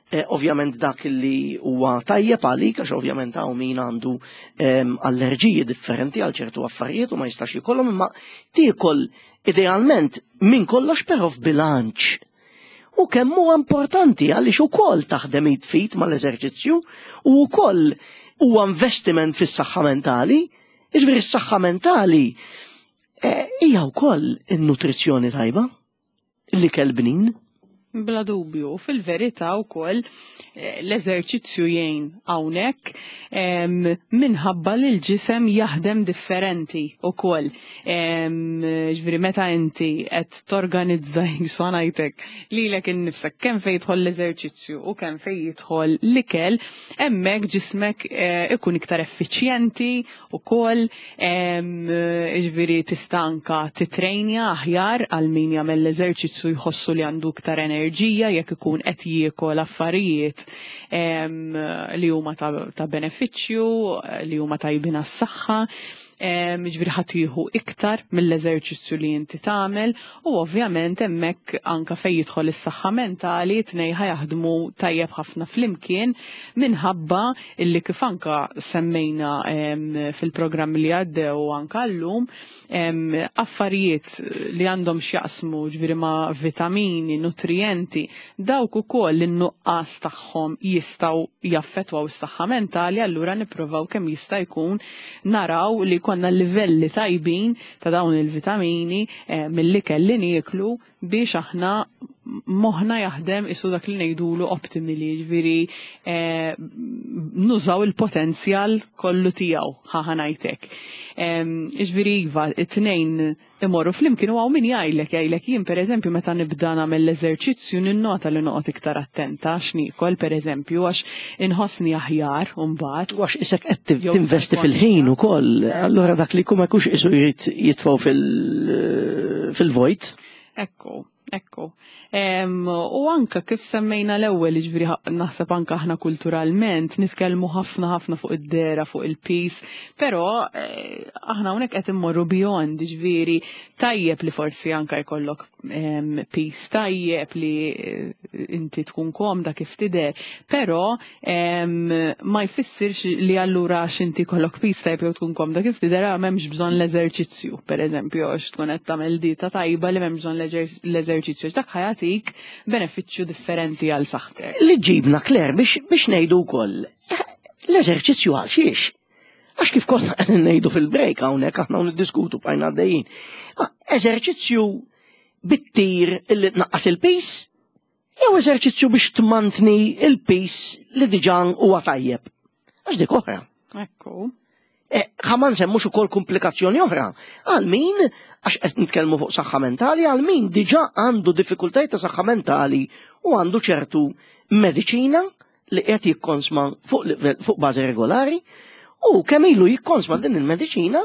eh, ovvjament dak li huwa tajjeb għalik, għax ovvjament hawn min għandu ehm, allerġiji differenti għal ċertu affarijiet u ma jistax jkollhom, imma tiekol idealment minn kollox però f'bilanċ. U kemm huwa importanti għaliex ukoll taħdem id f'id mal-eżerċizzju u wkoll huwa investiment fis-saħħa mentali. Jiġifieri s-saħħa mentali eh, hija wkoll in-nutrizzjoni tajba, l-ikel bnin. Bla dubju, fil-verità wkoll eh, l-eżerċizzju jgħin hawnhekk em, minħabba li l-ġisem jaħdem differenti wkoll. Em, Ġifieri meta inti qed torganizza jisu ngħidlek lilek innifsek kemm fejn jidħol l-eżerċizzju u kemm fejn jidħol l-ikel, hemmhekk ġismek eh, ikun iktar effiċjenti ukoll, em, ġifieri tista' anka titrejnja aħjar għal min jagħmel l-eżerċizzju jħossu li għandu iktar enerġija jekk ikun qed jiekol affarijiet em, li huma ta', ta' benefiċċju, li huma tajbin għas-saħħa. em, Ġifieri ħadd jieħu iktar mill-eżerċizzju li inti tagħmel u ovvjament hemmhekk anka fejn jidħol is-saħħa mentali tnejn ħa jaħdmu tajjeb ħafna flimkien minħabba illi kif anka semmejna em, fil-programm li għaddew u anka llum em, affarijiet li għandhom x'jaqsmu ġifieri ma' vitamini, nutrijenti, dawk ukoll in-nuqqas tagħhom jistgħu jaffettwaw is-saħħa mentali, allura nippruvaw kemm jista' jkun naraw li konna livelli tajbin ta' dawn il-vitamini eh, mill-ikel li nieklu biex aħna moħna jaħdem isu dak li ngħidulu optimally, ġifieri eh, nużaw il-potenzjal kollu tiegħu ħa ngħidlek. Ġifieri iva, it-tnejn imorru flimkien u hawn min jgħidlek, jgħidlek jien pereżempju meta nibda nagħmel l-eżerċizzju ninnota li noqgħod iktar attenta x'niekol pereżempju għax inħossni aħjar u mbagħad. Għax isek qed Jew tinvesti fil-ħin ukoll, allura dak li jkun ma jkunx isu jrid jitfgħu fil- fil-vojt. Ekku, ekku. Em, u anka kif semmejna l-ewwel, ġifieri ħa- naħseb anka aħna kulturalment nitkellmu ħafna ħafna fuq id-dehra, fuq il-piż, però eh, aħna hawnhekk qed immorru beyond, ġifieri tajjeb li forsi anka jkollok em, piż tajjeb li eh, inti tkun komda kif tidher, però em, ma jfissirx li allura għax inti kollok piż tajjeb jew tkun komda kif tidher ah, m'hemmx bżonn l-eżerċizzju, pereżempju, għax tkun qed tagħmel dieta tajba li m'hemmx bżonn l-eżer- l-eżerċizzju, dak ħa jagħtik benefiċċju differenti għal saħħtek. Li ġibna Claire biex, biex ngħidu wkoll eh, l-eżerċizzju għal xiex. Għax kif konna qegħdin ngħidu fil-break hawnhekk aħna niddiskutu bqajna għaddejjin. Ah, Eżerċizzju bit-tir illi tnaqqas il-piż jew eżerċizzju biex tmantni il-piż li diġà huwa tajjeb. Għax dik oħra. Ekku. Eh, ħa ma nsemmux ukoll komplikazzjoni oħra. Għal min, għax qed nitkellmu fuq saħħa mentali, għal min diġà għandu diffikultajiet ta' saħħa mentali u għandu ċertu mediċina li qed jikkonsma fuq livell- fuq bażi regolari u kemm ilu jikkonsma din il-mediċina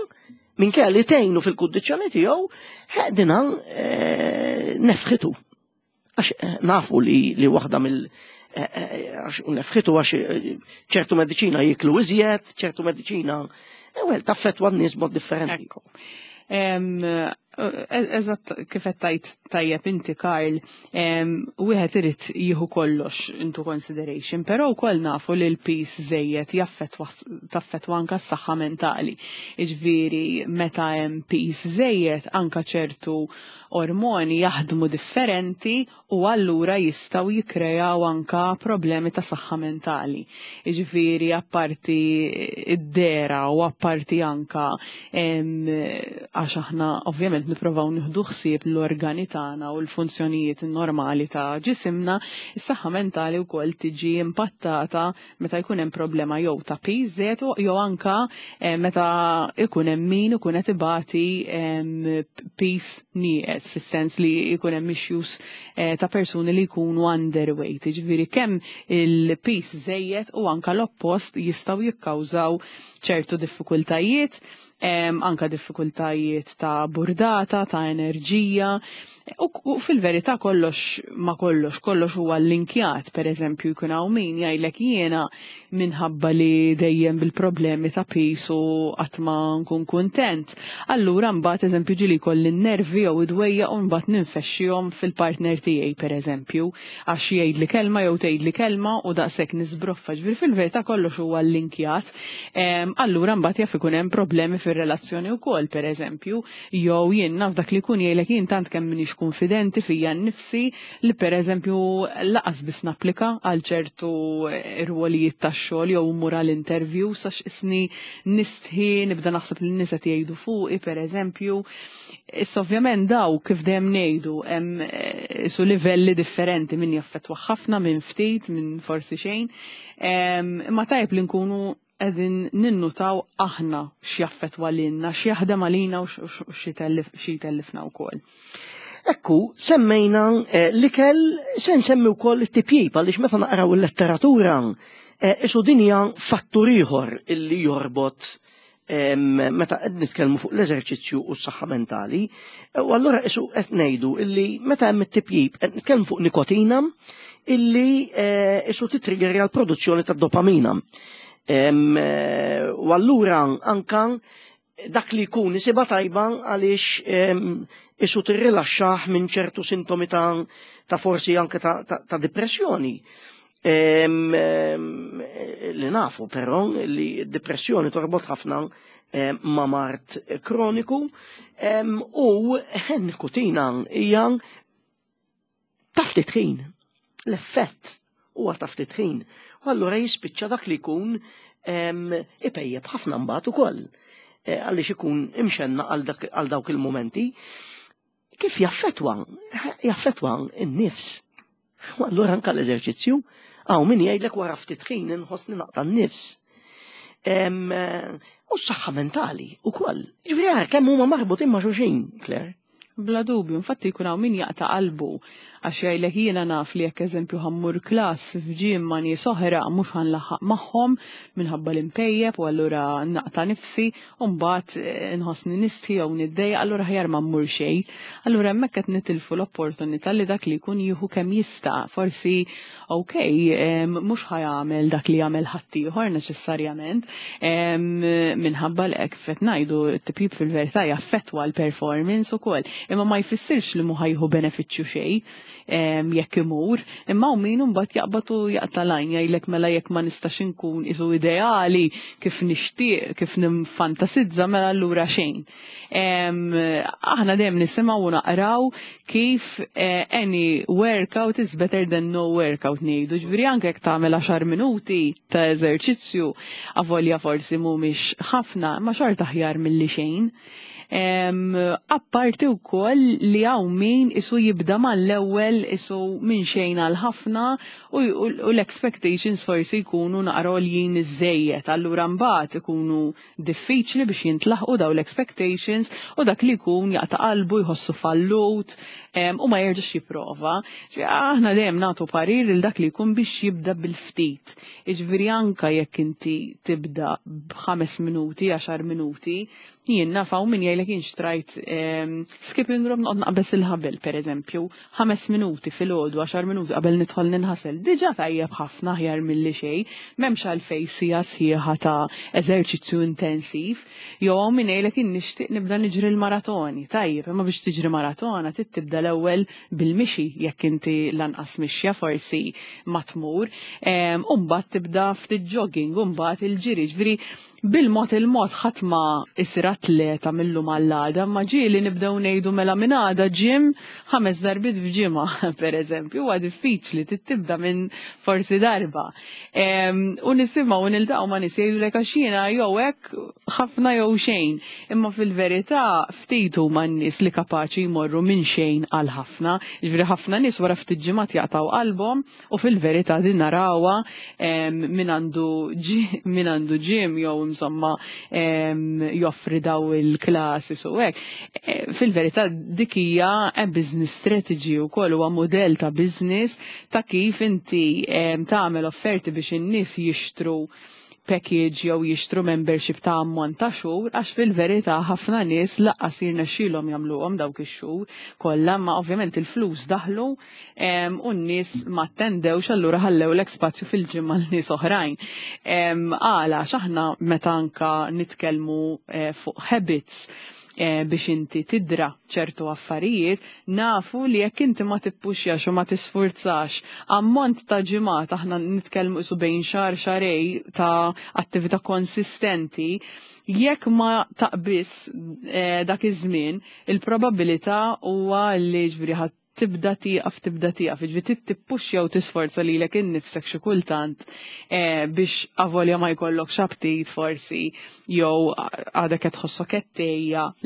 minkejja li tgħinu fil-kundizzjoni tiegħu, eh, dina eh, nefħitu. Għax eh, nafu li, li waħda mill eh, eh, għax nefħitu għax eh, ċertu mediċina jiklu iżjed, ċertu mediċina, eh, well, taffetwa n-nies mod differenti. Ekku. Em, eh, Eżatt kif qed tajt tajjeb inti Karl, em, wieħed irid jieħu kollox into consideration, però wkoll nafu li l-piż żejjed jaffettwa taffettwa anka s-saħħa mentali. Jiġifieri meta hemm piż żejjed anka ċertu Ormoni jaħdmu differenti u allura jistgħu jikkrejaw anka problemi ta' saħħa mentali. Jiġifieri apparti id-dehra u apparti anka għax aħna ovvjament nipprovaw nieħdu ħsieb l-organi tagħna u l-funzjonijiet normali ta' ġisimna, is-saħħa mentali wkoll tiġi impattata meta jkun hemm problema jew ta' piż jew anka meta ikun hemm min ikun qed ibati piż nieqes, fis-sens li jkun hemm issues ta' persuni li jkunu underweight. Ġifieri kemm il-piż żejjed u anka l-oppost jistgħu jikkawżaw ċertu diffikultajiet, anka diffikultajiet ta' burdata, ta' enerġija. U fil-verità kollox ma kollox, kollox huwa linkjat. Per eżempju, jkun hawn min jgħidlek jiena minħabba li dejjem bil-problemi ta' piż u qatt ma nkun kuntent. Allura mbagħad, eżempju, ġieli jkolli n-nervi jew id-dwejja u mbagħad ninfexxihom fil-partner tiegħi, per eżempju, għax jgħidli kelma jew tgħidli kelma u daqshekk nisbroffa. Ġifieri fil-verità kollox huwa linkjat. Allura mbagħad jaf ikun hemm problemi fir-relazzjoni wkoll, per eżempju, jew jien naf dak li jkun jgħidlek jien tant kemm m'iniex konfidenti fija nnifsi li, per eżempju, lanqas biss napplika għal ċertu rwolijiet tax-xogħol jew mmur għal interview għax isni nistħi, nibda naħseb li n-nies qed jgħidu fuqi, per eżempju. Issa ovvjament daw, kif dejjem ngħidu, hemm su livelli differenti, min jaffettwa ħafna, minn ftit, minn forsi xejn. Ma tajb li nkunu qegħdin ninnutaw aħna x'jaffettwa lilna, x'jaħdem għalina u x'jitellifna wkoll. Ekku, semmejna l-ikel, se nsemmi wkoll it-tipjip, għaliex meta naqraw il-letteratura, isu din hija fattur ieħor illi jorbot meta qed nitkellmu fuq l-eżerċizzju u s-saħħa mentali. U allura isu qed ngħidu illi meta hemm it-tipjip qed nitkellmu fuq nikotina illi isu titriggerja l-produzzjoni ta' dopamina. U allura anka dak li jkun isibha tajba għaliex isu tirrilaxxah minn ċertu sintomi ta', ta forsi anke ta', ta, ta depressjoni. Li nafu però li depressjoni torbot ħafna ma' mard kroniku u nikotina hija ta' ftit ħin. L-effett huwa ta' ftit ħin. U allura jispiċċa dak li jkun ipejjeb ħafna mbagħad ukoll, għaliex ikun imxenna għal dawk il-momenti. Kif jaffetwa? Jaffetwa n-nifs. U allura anka l-eżerċizzju, hawn min jgħidlek wara ftit ħin inħossni naqta' n-nifs. U s-saħħa mentali ukoll. Ġifieri kemm huma marbutin ma' xulxin, Claire. Bla dubju, infatti jkun hawn min jaqta' qalbu għax jgħidlek jiena naf li jekk, eżempju, ħa mmur class f'gym ma' nies oħra mhux ħa nlaħħaq magħhom minħabba l-impejjeb u allura naqta' nifsi u mbagħad nħossni nistħi jew niddejjaq, allura aħjar ma mmur xejn. Allura hemmhekk qed nitilfu l-opportunità li dak li jkun jieħu kemm jista'. Forsi okej, mhux ħa jagħmel dak li jagħmel ħaddieħor neċessarjament, minħabba li hekk qed ngħidu t-tipjip fil-verità jaffettwa l-performance ukoll. Imma ma jfissirx li mhu ħa jieħu benefiċċju xejn jekk imur, imma u min mbagħad jaqbad u jaqta' lajn, jgħidlek mela jekk ma nistax inkun isu ideali kif nixtieq, kif ninfantasizza, mela allura xejn. Aħna dejjem nisimgħu u naqraw kif any workout is better than no workout ngħidu. Ġifieri anke jekk tagħmel għaxar minuti ta' eżerċizzju, avolja forsi mhumiex ħafna, ma xorta aħjar milli xejn. Apparti wkoll li hawn min isu jibda mal-ewwel isu minn xejn għal ħafna u l-expectations forsi jkunu naqra għoljin iżżejjed. Allura mbagħad ikunu diffiċli biex jintlaħqu daw l-expectations u dak li jkun jaqta' qalbu, jħossu fallut u ma jerġax jipprova. Aħna dejjem nagħtu parir lil dak li jkun biex jibda bil-ftit. Jiġifieri anka jekk inti tibda b'ħames minuti, għaxar minuti, jien naf hawn min jgħidlek jien xtrajt skipping rope, noqgħod naqbeż il-ħabel, per eżempju, ħames minuti filgħodu, għaxar minuti qabel nidħol ninħasel. Diġà tajjeb ħafna, aħjar milli xejn, m'hemmx għalfejn siegħa sħiħa ta' eżerċizzju intensiv. Jew hawn min jgħidlek jien nixtieq nibda niġri l-maratoni. Tajjeb, imma biex tiġri maratona trid tibda l-ewwel bil-mixi, jekk inti lanqas mixja forsi ma tmur, u mbagħad tibda ftit jogging, u mbagħad il-ġiri. Ġifieri Bil-mod il-mod ħadd ma isir atleta mil-lum għall-għada, ma ġieli nibdew ngħidu mela minn għada gym ħames darbiet f'ġimgħa, per eżempju, huwa diffiċli tibda minn forsi darba. U nisimgħu u niltaqgħu ma' nies jgħidulek għax jiena jew hekk ħafna jew xejn. Imma fil-verità ftit huma n-nies li kapaċi jmorru minn xejn għal ħafna. Jiġifieri ħafna nies wara ftit ġimgħat jaqtgħu qalbhom u fil-verità din narawha min għandu min għandu gym jew insomma joffri daw il-classes u hekk. E, fil-verità dik hija business strategy wkoll, huwa modell ta' business ta' kif inti tagħmel offerti biex in-nies jixtru package jew jixtru membership ta' ammont ta' xhur, għax fil-verità ħafna nies lanqas jirnexxielhom jagħmluhom dawk ix-xhur kollha, ma ovvjament il-flus daħlu u n-nies ma attendewx, allura ħallewlek spazju fil-ġimgħa l nies oħrajn. Għala x'aħna meta anka nitkellmu eh, fuq habits eh, biex inti tidra ċertu affarijiet, nafu li jekk inti ma tippuxjax u ma tisfurzax ammont ta' ġimgħat, aħna nitkellmu isu bejn xahar xahrejn ta' attività konsistenti, jekk ma taqbis eh, dak iż-żmien, il-probabilità huwa li ġifieri ħadd tibda tieqaf, tibda tieqaf, ġifieri tippuxja u tisforza lilek innifsek xi kultant eh, biex avolja ma jkollok aptit forsi jew għadek qed tħossok qed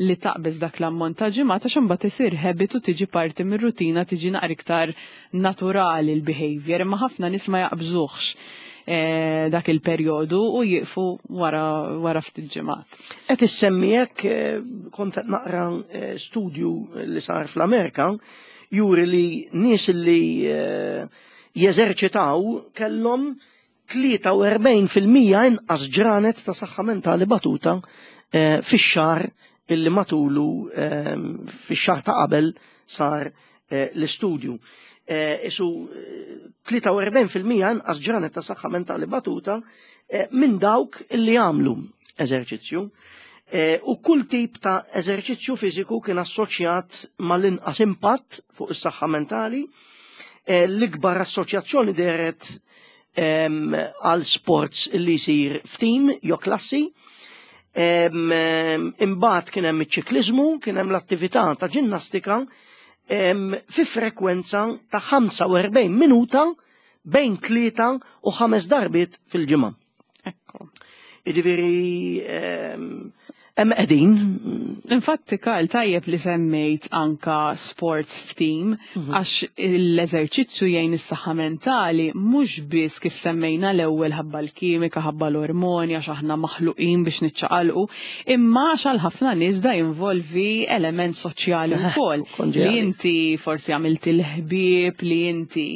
li taqbeż dak l-ammont ta' ġimgħat, għax imbagħad isir habit u tiġi parti mir-rutina, tiġi naqra iktar naturali l-behavior, imma ħafna nies ma jaqbżuhx eh, dak il-perjodu u jieqfu wara wara ftit ġimgħat. Qed issemmi hekk, eh, kont qed naqra studju li sar fl-Amerika juri li nies li eh, jeżerċitaw kellhom tlieta u erbgħin fil-mija inqas ġranet ta' saħħa mentali batuta eh, fix-xahar illi matulu, eh, fix-xahar ta' qabel sar l-istudju. Isu tlieta u erbgħin fil-mija inqas ġranet ta' saħħa mentali batuta minn dawk illi għamlu eżerċizzju. U kull tip ta' eżerċizzju fiżiku kien assoċjat mal-inqas impatt fuq is-saħħa mentali. L-ikbar assoċjazzjoni dehret għal sports li jsir f'tim jew klassi. Imbagħad kien hemm iċ-ċikliżmu, kien hemm l-attività ta' ġinnastika fi frekwenza ta' ħamsa u erbgħin minuta bejn tlieta u ħames darbiet fil-ġimgħa. Ekku. Jiġifieri hemm qegħdin. Infatti, Karl, tajjeb li semmejt anka sports f'team, mhm. għax l-eżerċizzju jgħin is-saħħa mentali mhux biss kif semmejna l-ewwel ħabba l-kimika, ħabba l-ormoni, għax aħna maħluqin biex niċċaqalqu, imma għax għal ħafna nies da jinvolvi element soċjali wkoll. Li inti forsi għamilt il-ħbieb, li inti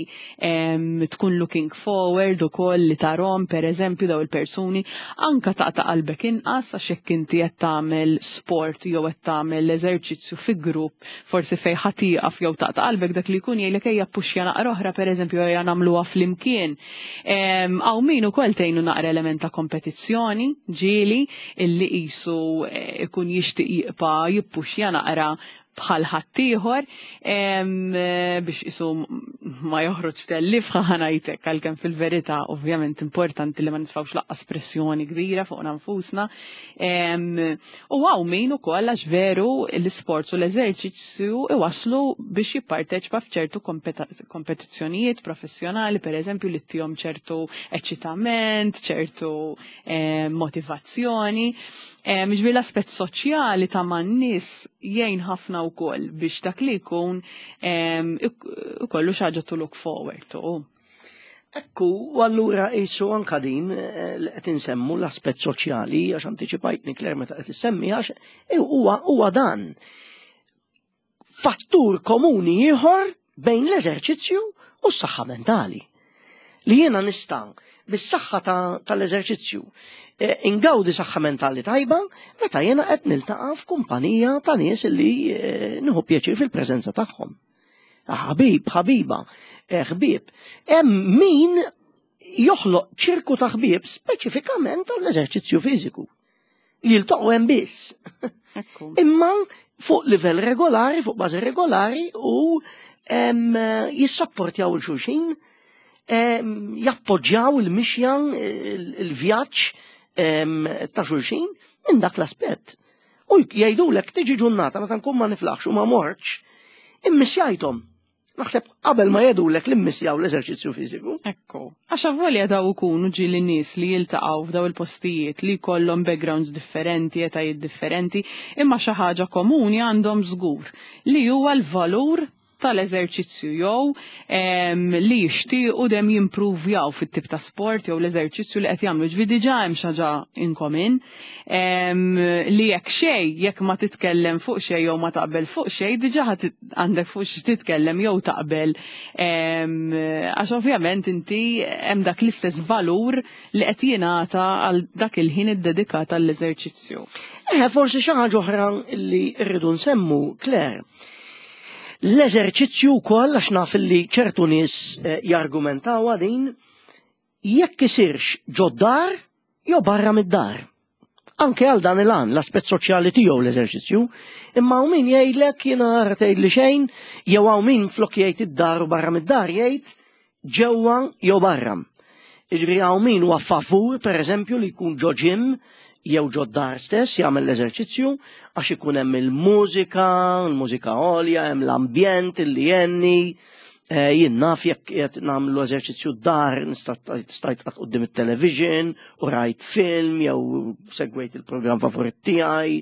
tkun looking forward ukoll li tarahom, per eżempju, daw il-persuni, anka taqta' qalbek inqas, għax jekk inti qed tagħmel sport jew qed tagħmel eżerċizzju fi grupp, forsi fejn ħa tieqaf jew taqta' qalbek, dak li jkun jgħidlek ejja puxja naqra oħra, pereżempju, ejja nagħmluha flimkien. Hawn min ukoll tgħinu naqra element ta' kompetizzjoni ġieli illi qisu eh, ikun jixtieq jibqa' jippuxja naqra bħal ħaddieħor biex isu ma joħroġ tellif ħanajtek, għalkemm fil-verità ovvjament importanti li ma nitfawx lanqas pressjoni kbira fuq nfusna. U hawn min ukoll, għax veru l-isports u l-eżerċizzju iwaslu biex jipparteċipa f'ċertu kompetizzjonijiet professjonali, per eżempju, li ttihom ċertu eċitament, ċertu motivazzjoni. Ġifieri l-aspett soċjali ta' man-nies jgħin ħafna wkoll biex dak li jkun ikollu xi ħaġa to look forward to. Ekku, u allura jisu anka din eh, li qed insemmu l-aspett soċjali, għax antiċipajtni, Claire, meta qed issemmi, għax huwa huwa dan fattur komuni ieħor bejn l-eżerċizzju u s-saħħa mentali. Li jiena nista' bis-saħħa tal-eżerċizzju eh, ingawdi saħħa mentali tajba meta jiena qed niltaqa' f'kumpanija ta' nies li eh, nieħu pjaċir fil-preżenza tagħhom. Ħabib, ħabiba, eh, ħbieb. Hemm min joħloq ċirku ta' ħbieb speċifikament għall-eżerċizzju fiżiku. Jiltaqgħu hemm biss. Imma fuq livell regolari, fuq bażi regolari, u jissapportjaw il-xulxin, jappoġġjaw il-mixja, il-vjaġġ ta' xulxin minn dak l-aspett. U jgħidulek tiġi ġurnata meta nkun ma niflaħx u ma mortx, immissjajthom. Naħseb qabel ma jgħidulek li mmissjaw l-eżerċizzju fiżiku. Ekku. Għax avolja daw ikunu ġieli nies li jiltaqgħu f'daw il-postijiet li jkollhom backgrounds differenti, etajiet differenti, imma xi ħaġa komuni għandhom żgur li huwa l-valur tal-eżerċizzju jew li jixtiequ dem jimpruvjaw fit-tip ta' sport jew l-eżerċizzju li qed jagħmlu. Ġifieri diġà hemm xi ħaġa in common li jekk xejn, jekk ma titkellem fuq xejn jew ma taqbel fuq xejn, diġà għandek fuq xi titkellem jew taqbel, għax ovvjament inti hemm dak l-istess valur li qed jingħata għal dak il-ħin iddedikat għall-eżerċizzju. Eh, forsi xi ħaġa oħra li rridu nsemmu, Claire. L-eżerċizzju wkoll, għax naf li ċertu nies eh, jargumentaw din, jekk isirx ġod-dar jew barra mid-dar. Anke għal dan il-għan, l-aspett soċjali tiegħu l-eżerċizzju, imma hawn min jgħidlek jiena tgħid li xejn, jew hawn min flok jgħid id-dar u barra mid-dar jgħid ġewwa jew barra. Jiġifieri hawn min huwa favur, pereżempju, li jkun ġo gym jew ġo dar stess jagħmel l-eżerċizzju għax ikun hemm il-mużika, il-mużika għolja, hemm l-ambjent illi jenni, eh, jien naf jekk qed nagħmlu eżerċizzju dar nista' stajt qatt quddiem it-television u rajt film jew segwejt il-programm favorit tiegħi.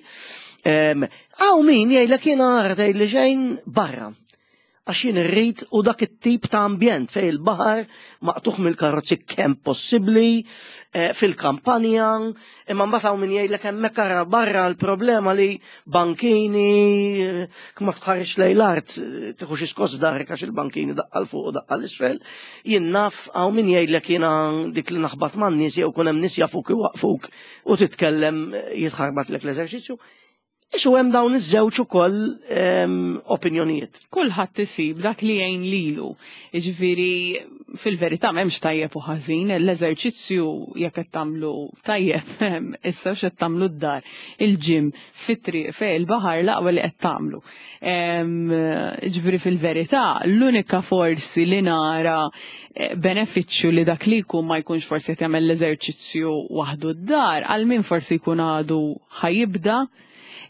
Hawn min jgħidlek jiena tgħid li xejn barra. Għax jien irrid u dak it-tip ta' ambjent fej il-baħar maqtugħ mill-karozzi kemm possibbli, eh, fil-kampanja, imma mbagħad hawn min jgħidlek hemmhekk ara barra l-problema li bankini, eh, ma tħares lejn l-art, eh, tieħu xi skoss f'darek għax il-bankini daqqa 'l fuq u daqqa 'l isfel. Jien naf hawn min jgħidlek jiena dik li naħbat man-nies jew kun hemm nies jafuk iwaqfuk u titkellem jitħarbatlek l-eżerċizzju. Isu hemm dawn iż-żewġ ukoll ehm, opinjonijiet. Kulħadd isib dak li jgħin lilu. Jiġifieri fil-verità m'hemmx tajjeb u ħażin, l-eżerċizzju jekk qed tagħmlu tajjeb, issa x'qed tagħmlu d-dar, il-gym, fit-triq, fejn il-baħar l-aqwa li qed tagħmlu. Jiġifieri fil-verità l-unika forsi li nara eh, benefiċċju li dak li jkun ma jkunx forsi qed jagħmel l-eżerċizzju waħdu d-dar, għal min forsi jkun għadu ħa jibda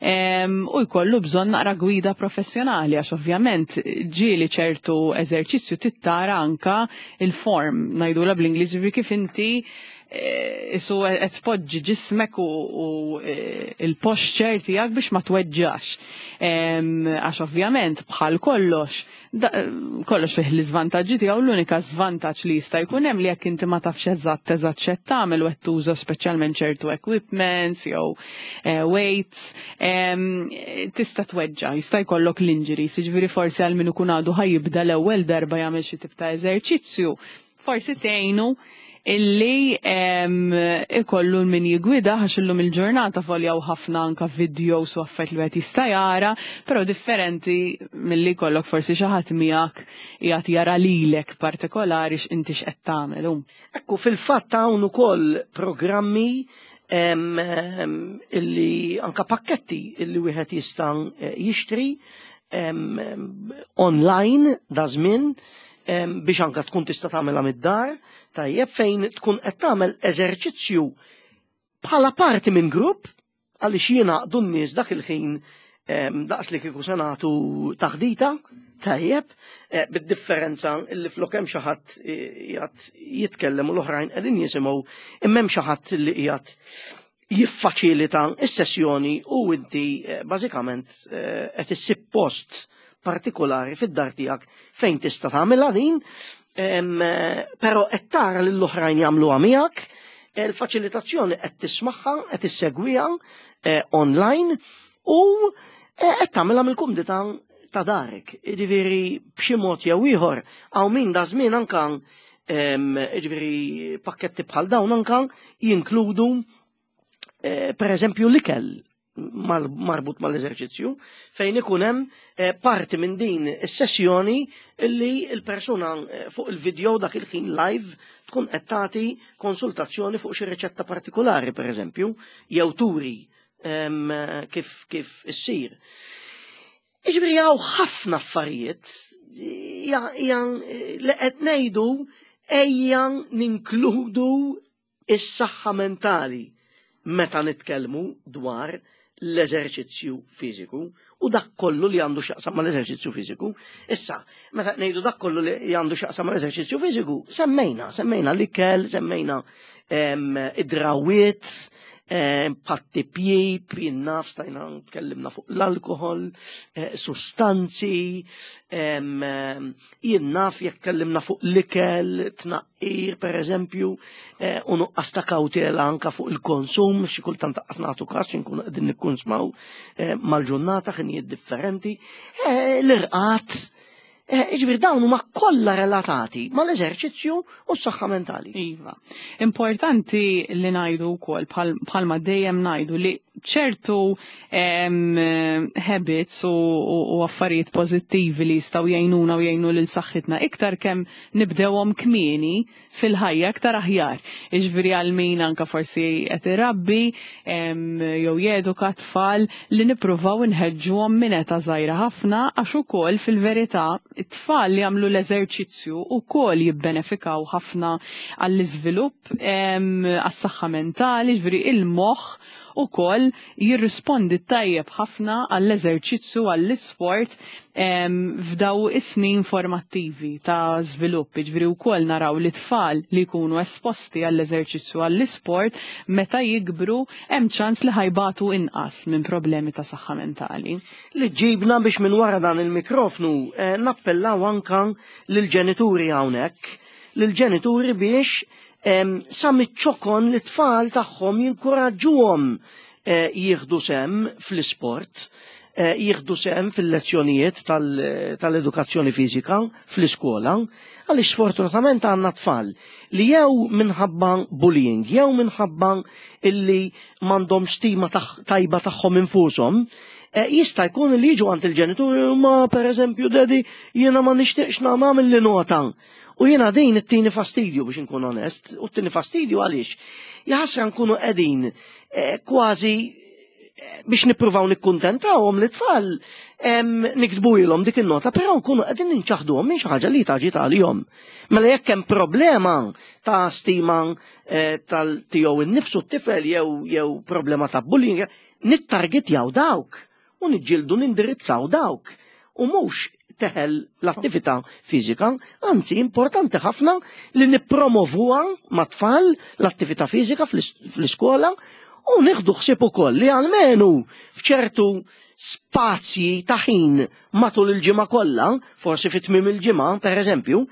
u jkollu bżonn naqra gwida professjonali għax ovvjament ġieli ċertu eżerċizzju tittara anka il-form ngħidula bl-Ingliż kif inti eh, isu qed tpoġġi ġismek u eh, il-posture tiegħek biex ma tweġġax. Għax ovvjament bħal kollox kollox fih l-iżvantaġġi tiegħu, l-unika żvantaġġ li jista' jkun hemm li jekk inti ma tafx eżatt eżatt x'qed tagħmel u qed tuża speċjalment ċertu equipments jew eh, weights, tista' tweġġa', jista' jkollok l-injuries, jiġifieri forsi għal min ikun għadu ħa jibda l-ewwel darba jagħmel xi tip ta' eżerċizzju, forsi tgħinu illi ikollu min jigwida għax illum il-ġurnata foljaw ħafna anka videos u affarijiet li wieħed jista' jara, però differenti milli jkollok forsi xi ħadd miegħek qiegħed jara lilek partikolari x'inti x'qed tagħmel. Ekku, fil-fatt hawn ukoll programmi illi anka pakketti illi wieħed jista' jixtri online da żmien biex anka tkun tista' tagħmilha mid-dar, tajjeb, fejn tkun qed tagħmel eżerċizzju bħala parti minn grupp għaliex jingħaqdu n-nies dak il-ħin daqs li kieku se nagħtu taħdita, tajjeb, eh, bid-differenza illi flok hemm xi ħadd qiegħed jitkellem u l-oħrajn qegħdin jisimgħu, imma hemm xi ħadd li qiegħed jiffaċilita s-sessjoni u inti eh, bażikament eh, qed issib post partikolari fid-dar tiegħek fejn tista' tagħmilha din, però qed tara lil oħrajn jagħmluha miegħek, il-faċilitazzjoni qed tismagħha, qed issegwiha eh, online u qed tagħmilha mill-kumdità ta' darek. Jiġifieri b'xi mod jew ieħor hawn min da żmien anka, jiġifieri pakketti bħal dawn anka jinkludu eh, per eżempju l-ikel marbut mal-eżerċizzju, fejn ikun hemm eh, parti minn din is-sessjoni li l-persuna eh, fuq il-video dak il-ħin live tkun qed tagħti konsultazzjoni fuq xi riċetta partikolari pereżempju, jew turi kif kif issir. Iġifieri hawn ħafna affarijiet li qed ngħidu ejja ninkludu is-saħħa mentali. meta nitkellmu dwar l-eżerċizzju fiżiku u dak kollu li għandu x'jaqsam mal-eżerċizzju fiżiku. Issa, meta ngħidu dak kollu li għandu x'jaqsam mal-eżerċizzju fiżiku, semmejna, semmejna l-ikel, semmejna id-drawiet, bħat-tipjip, jinnaf, stajna tkellimna fuq l-alkohol, sustanzi, jinnaf jekk tkellimna fuq l-ikel, tnaqqir per eżempju, u nuqqas ta' kawtela anka fuq il-konsum, xi kultant taqqas nagħtu każ nkunu qegħdin nikkunsmaw mal-ġurnata ħinijiet differenti, l-irqat, Ġifieri dawn huma kollha relatati mal-eżerċizzju u s-saħħa mentali. Iva. Importanti li ngħidu wkoll bħalma dejjem ngħidu li ċertu habits u, u, u affarijiet pożittivi li jistgħu jgħinuna u jgħinu lil saħħitna iktar kemm nibdewhom kmieni fil-ħajja iktar aħjar. Iġifieri għal min anka forsi qed irabbi jew jeduka tfal li nippruvaw inħeġġuhom minn età żgħira ħafna għax ukoll fil-verità it-tfal li jagħmlu l-eżerċizzju ukoll jibbenefikaw ħafna għall-iżvilupp għas-saħħa mentali, ġifieri il-moħħ ukoll jirrispondi tajjeb ħafna għall-eżerċizzju għall-isport f'daw is-snin formattivi ta' żvilupp. Ġifieri wkoll naraw li tfal li jkunu esposti għall-eżerċizzju għall-isport meta jikbru hemm ċans li ħa jbatu inqas minn problemi ta' saħħa mentali. Li ġibna biex minn wara dan il-mikrofnu eh, nappellaw anka lill-ġenituri hawnhekk, lill-ġenituri biex sa miċ-ċokon li tfal tagħhom jinkuraġġuhom eh, jieħdu sehem fl-isport, eh, jieħdu sehem fil-lezzjonijiet tal-edukazzjoni fiżika fl-iskola, għaliex sfortunatament għandna tfal li jew minħabba bullying, jew minħabba illi m'għandhom stima tajba tagħhom infushom, eh, jista' jkun li jiġu għand il-ġenituri ma pereżempju daddy jiena ma nixtieqx nagħmel li nota. U jiena din it-tini fastidju biex nkun onest, u t-tini fastidju għaliex. Jaħasra nkunu qegħdin eh, kważi eh, biex nippruvaw nikkuntentawhom li tfal niktbulhom dik in-nota, però nkunu qegħdin ninċaħduhom minn xi ħaġa li taġi tal-jom. Mela jekk hemm problema ta' stima eh, tal-tiegħu innifsu t-tifel jew jew problema ta' bullying, nittargetjaw dawk u niġġieldu nindirizzaw dawk. U mhux teħel l-attività fiżika, anzi importanti ħafna li nippromovuha mat-tfal l-attività fiżika fl-iskola u nieħdu ħsieb ukoll li almenu f'ċertu spazji ta' ħin matul il-ġimgħa kollha, forsi fit tmiem il-ġimgħa pereżempju,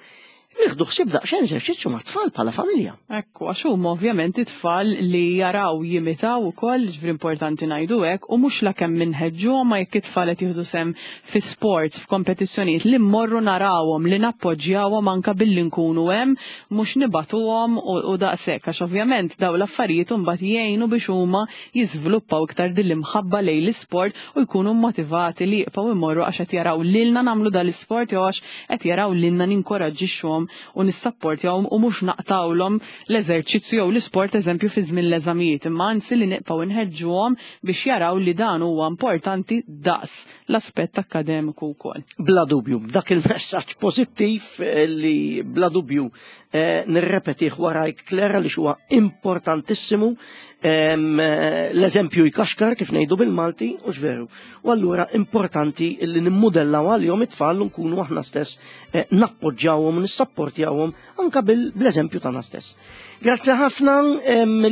nieħdu ħsieb daqsxejn eżerċizzju mat-tfal bħala familja. Ekku, għax huma ovvjament it-tfal li jaraw jimitaw ukoll, ġifieri importanti ngħidu hekk, u mhux la kemm minħeġġuhom ma jekk it-tfal qed jieħdu sehem fi sports, f'kompetizzjonijiet li mmorru narawhom, li nappoġġjawhom anka billi nkunu hemm, mhux nibatuhom u daqshekk, għax ovvjament daw l-affarijiet imbagħad jgħinu biex huma jiżviluppaw iktar din l-imħabba lejn l-isport u jkunu motivati li jibqgħu imorru għax qed jaraw lilna nagħmlu dal-isport jew għax qed jaraw lilna ninkoraġġixxuhom u nissapportjawhom u mhux naqtawlhom l-eżerċizzju jew l-isport eżempju fi żmien l-eżamijiet, imma anzi li nibqgħu nħeġġuhom biex jaraw li dan huwa importanti daqs l-aspett akkademiku wkoll. Bla dubju, dak il-messaġġ pożittiv li bla dubju eh, nirrepetih warajk Klera li huwa importantissimu l-eżempju jkaxkar kif ngħidu bil-Malti u veru. U allura importanti li nimmudellaw għalihom it-tfal u nkunu aħna stess eh, nappoġġjawhom u nissapportjawhom anka bil-eżempju tagħna stess. Grazzi ħafna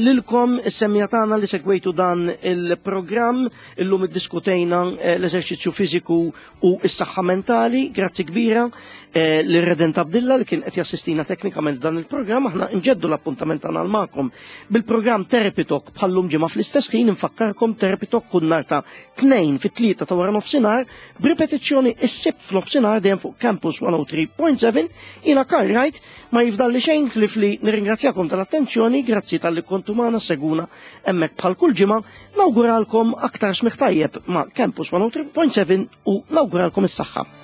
lilkom is-semmiegħa tagħna li segwejtu dan il-programm illum iddiskutejna eh, l-eżerċizzju fiżiku u s-saħħa mentali. Grazzi kbira eh, lil Redent Abdilla li kien qed jassistina teknikament dan il-programm. Aħna nġeddu l-appuntament tagħna magħkom bil-programm Therapy Talk bħallum ġimgħa fl-istess ħin. Infakkarkom Therapy Talk kull nhar ta' tnejn fit-tlieta ta' wara nofsinhar b'ripetizzjoni is-Sibt f'nofsinhar dejjem fuq Campus mija u tlieta punt seba'. Jiena Karl Wright ma jifdalli xejn ħlief li nirringrazzjakom tal-attenzjoni, grazzi talli kontu magħna seguna hemmhekk bħal kull ġimgħa, nawguralkom aktar smigħ tajjeb ma' Campus mija u tlieta punt seba u nawguralkom is-saħħa.